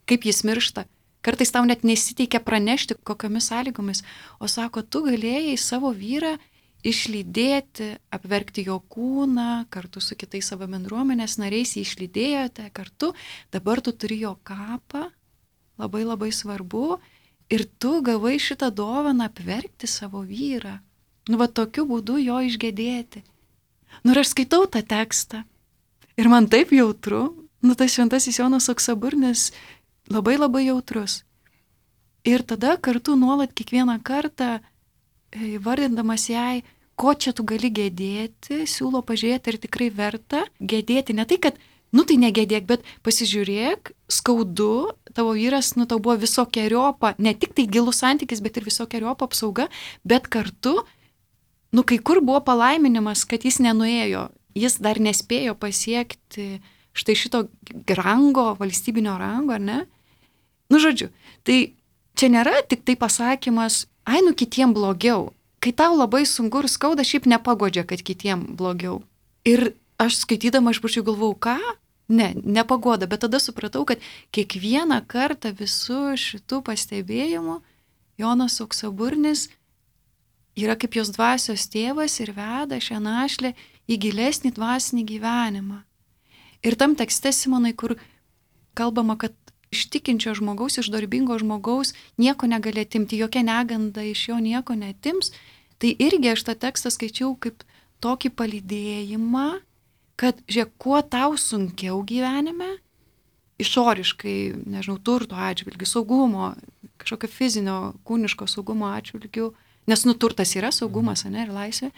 kaip jis miršta. Kartais tau net nesiteikia pranešti, kokiamis sąlygomis. O sako, tu galėjai savo vyrą išlydėti, apverkti jo kūną, kartu su kitais savo bendruomenės nariais jį išlydėjote kartu, dabar tu turi jo kapą, labai labai svarbu, ir tu gavai šitą dovaną apverkti savo vyrą. Nu, va tokiu būdu jo išgėdėti. Nu, ir aš skaitau tą tekstą ir man taip jautru, nu, tas šventasis Jonas Auksaburnis labai labai jautrus. Ir tada kartu nuolat kiekvieną kartą vardindamas jai, ko čia tu gali gėdėti, siūlo pažiūrėti, ar tikrai verta gėdėti. Ne tai, kad, nu tai negėdėk, bet pasižiūrėk, skaudu, tavo vyras, nu tau buvo visokeriopą, ne tik tai gilus santykis, bet ir visokeriopą apsauga, bet kartu, nu kai kur buvo palaiminimas, kad jis nenuėjo, jis dar nespėjo pasiekti štai šito rango, valstybinio rango, ar ne? Nu žodžiu, tai čia nėra tik tai pasakymas, ai, nu kitiem blogiau. Kai tau labai sunku ir skauda, šiaip nepagodžia, kad kitiem blogiau. Ir aš skaitydama, aš pačiu galvau, ką? Ne, nepagoda, bet tada supratau, kad kiekvieną kartą visų šitų pastebėjimų Jonas Auksaburnis yra kaip jos dvasios tėvas ir veda šią našlę į gilesnį dvasinį gyvenimą. Ir tam tekste, Simonai, kur kalbama, kad iš tikinčio žmogaus, iš darbingo žmogaus nieko negali atimti, jokia neganda iš jo nieko netims, tai irgi aš tą tekstą skaičiau kaip tokį palydėjimą, kad, žiūrėk, kuo tau sunkiau gyvenime, išoriškai, nežinau, turto atžvilgių, saugumo, kažkokio fizinio, kūniško saugumo atžvilgių, nes, nu, turtas yra saugumas, ne, ir laisvė,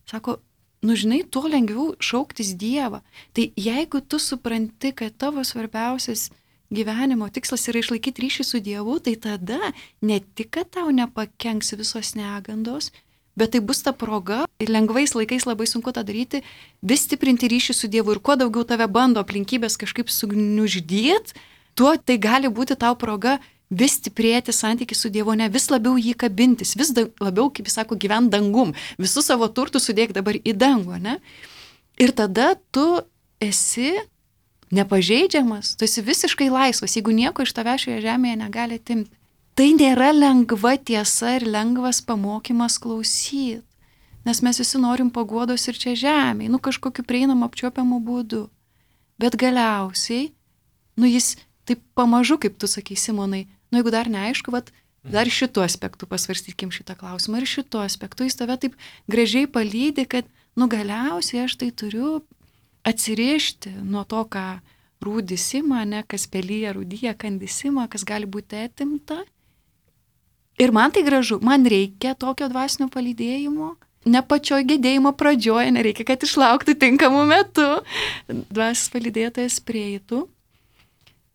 sako, nu, žinai, tuo lengviau šauktis Dievą. Tai jeigu tu supranti, kad tavo svarbiausias gyvenimo tikslas yra išlaikyti ryšį su Dievu, tai tada ne tik, kad tau nepakenks visos negandos, bet tai bus ta proga, ir lengvais laikais labai sunku tą daryti, vis stiprinti ryšį su Dievu, ir kuo daugiau tave bando aplinkybės kažkaip sugniuždėt, tuo tai gali būti tau proga vis stiprėti santykį su Dievu, ne vis labiau jį kabintis, vis da, labiau, kaip jis sako, gyvent dangum, visus savo turtus sudėk dabar į dangų, ne? Ir tada tu esi nepažeidžiamas, tu esi visiškai laisvas, jeigu nieko iš tavęs šioje žemėje negali atimti. Tai nėra lengva tiesa ir lengvas pamokymas klausyti, nes mes visi norim paguodos ir čia žemėje, nu kažkokiu prieinamą apčiuopiamų būdų. Bet galiausiai, nu jis taip pamažu, kaip tu sakai, Simonai, nu jeigu dar neaišku, vat, dar šitų aspektų pasvarstykim šitą klausimą ir šitų aspektų jis tave taip gražiai palydi, kad nu galiausiai aš tai turiu atsirišti nuo to, ką rūdisima, ne, kas pelyja, rūdyja, kandisima, kas gali būti atimta. Ir man tai gražu, man reikia tokio dvasinio palydėjimo. Ne pačioj gedėjimo pradžioje, nereikia, kad išlauktų tinkamų metų. Dvasios palydėtojas prieitų.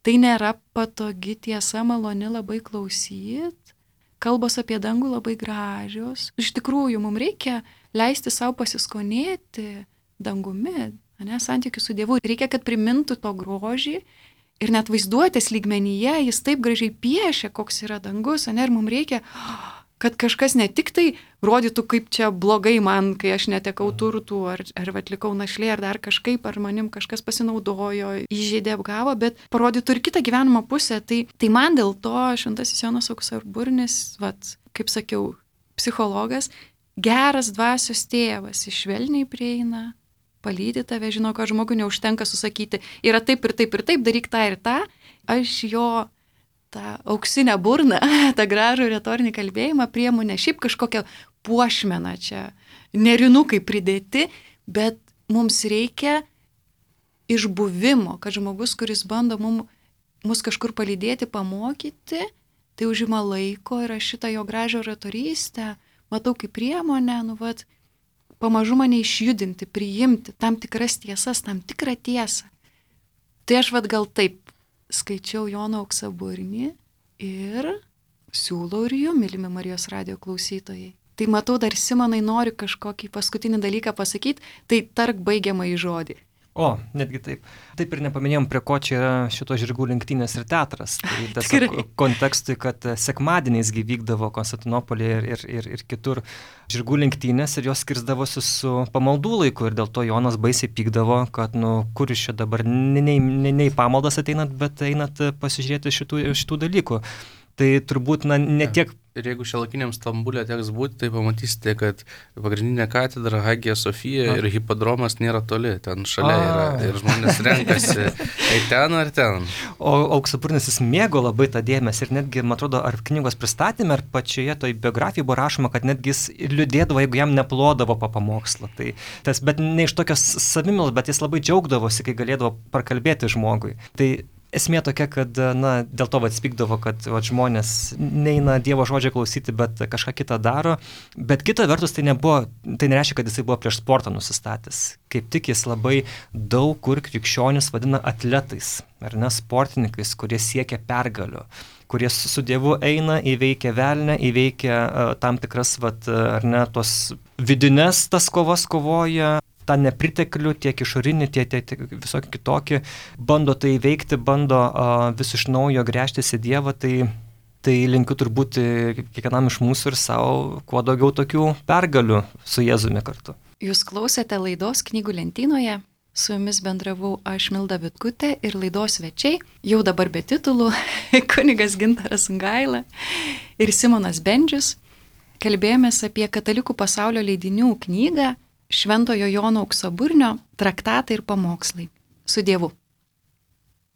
Tai nėra patogi tiesa, maloni labai klausyti. Kalbos apie dangų labai gražios. Iš tikrųjų, mums reikia leisti savo pasiskonėti dangumi, ne, santykių su Dievu. Reikia, kad primintų to grožį ir net vaizduotės lygmenyje jis taip gražiai piešia, koks yra dangus. Ne, ir mums reikia, kad kažkas ne tik tai rodytų, kaip čia blogai man, kai aš netekau turtų, ar, ar atlikau našlė, ar dar kažkaip, ar manim kažkas pasinaudojo, įžeidė, apgavo, bet parodytų ir kitą gyvenimo pusę. Tai, tai man dėl to šventasis Jonas Auksaburnis, vat, kaip sakiau, psichologas, geras dvasios tėvas, išvelniai prieina, palydi tave, žino, kad žmogui neužtenka susakyti, yra taip ir taip ir taip, daryk tą ir tą. Aš jo tą auksinę burną, tą gražų retorinį kalbėjimą priemu ne šiaip kažkokią puošmeną čia, nerinukai pridėti, bet mums reikia išbuvimo, kad žmogus, kuris bando mum, mus kažkur palydėti, pamokyti, tai užima laiko ir aš šitą jo gražią retorystę matau kaip priemonę, nu vat, pamažu mane išjudinti, priimti tam tikras tiesas, tam tikrą tiesą. Tai aš vat gal taip skaičiau Jono Auksaburnį ir siūlau ir jum, mylimi Marijos radijo klausytojai. Tai matau, dar Simonai nori kažkokį paskutinį dalyką pasakyti, tai tark baigiamąjį žodį. O, netgi taip. Taip ir nepaminėjom, prie ko čia yra šito žirgų lenktynės ir teatras. Tai tiesiog kontekstui, kad sekmadieniais vykdavo Konstantinopolėje ir, ir, ir, ir kitur žirgų lenktynės ir jos skirsdavosi su pamaldų laiku ir dėl to Jonas baisiai pykdavo, kad, nu, kur iš čia dabar ne, ne, ne, ne į pamaldas ateinat, bet einat pasižiūrėti šitų, šitų dalykų. Tai turbūt, na, ne tiek... Ir jeigu šiuolaikiniam Stambulė teks būti, tai pamatysite, kad pagrindinė katedra Hagija Sofija A. ir hipodromas nėra toli, ten šalia A. yra. Ir žmonės renkasi, tai ten ar ten. O Auksaburnis jis mėgo labai tą dėmesį ir netgi, man atrodo, ar knygos pristatymė, ar pačioje toj biografijoje buvo rašoma, kad netgi jis liūdėdavo, jeigu jam neplodavo po pamokslo. Tai tas, bet ne iš tokios savimilos, bet jis labai džiaugdavosi, kai galėdavo prakalbėti žmogui. Tai esmė tokia, kad, na, dėl to atspykdavo, kad va, žmonės neina Dievo žodžio klausyti, bet kažką kitą daro. Bet kita vertus, tai nebuvo, tai nereiškia, kad jisai buvo prieš sportą nusistatęs. Kaip tik jis labai daug kur krikščionis vadina atletais, ar ne, sportininkais, kurie siekia pergalių, kurie su Dievu eina, įveikia velnę, įveikia uh, tam tikras, vat, ar ne, tos vidines tas kovas kovoja, tą nepriteklių, tiek išorinį, tiek, tiek, tiek visokį kitokį, bando tai veikti, bando uh, vis iš naujo gręžtis į Dievą, tai, tai linkiu turbūt kiekvienam iš mūsų ir savo kuo daugiau tokių pergalių su Jėzumi kartu. Jūs klausėte laidos Knygų lentynoje, su jumis bendravau aš Milda Vitkutė ir laidos svečiai, jau dabar be titulų, kunigas Gintaras Sungaila ir Simonas Bendžius. Kalbėjomės apie katalikų pasaulio leidinių knygą Šventojo Jono Auksaburnio traktatai ir pamokslai. Su Dievu.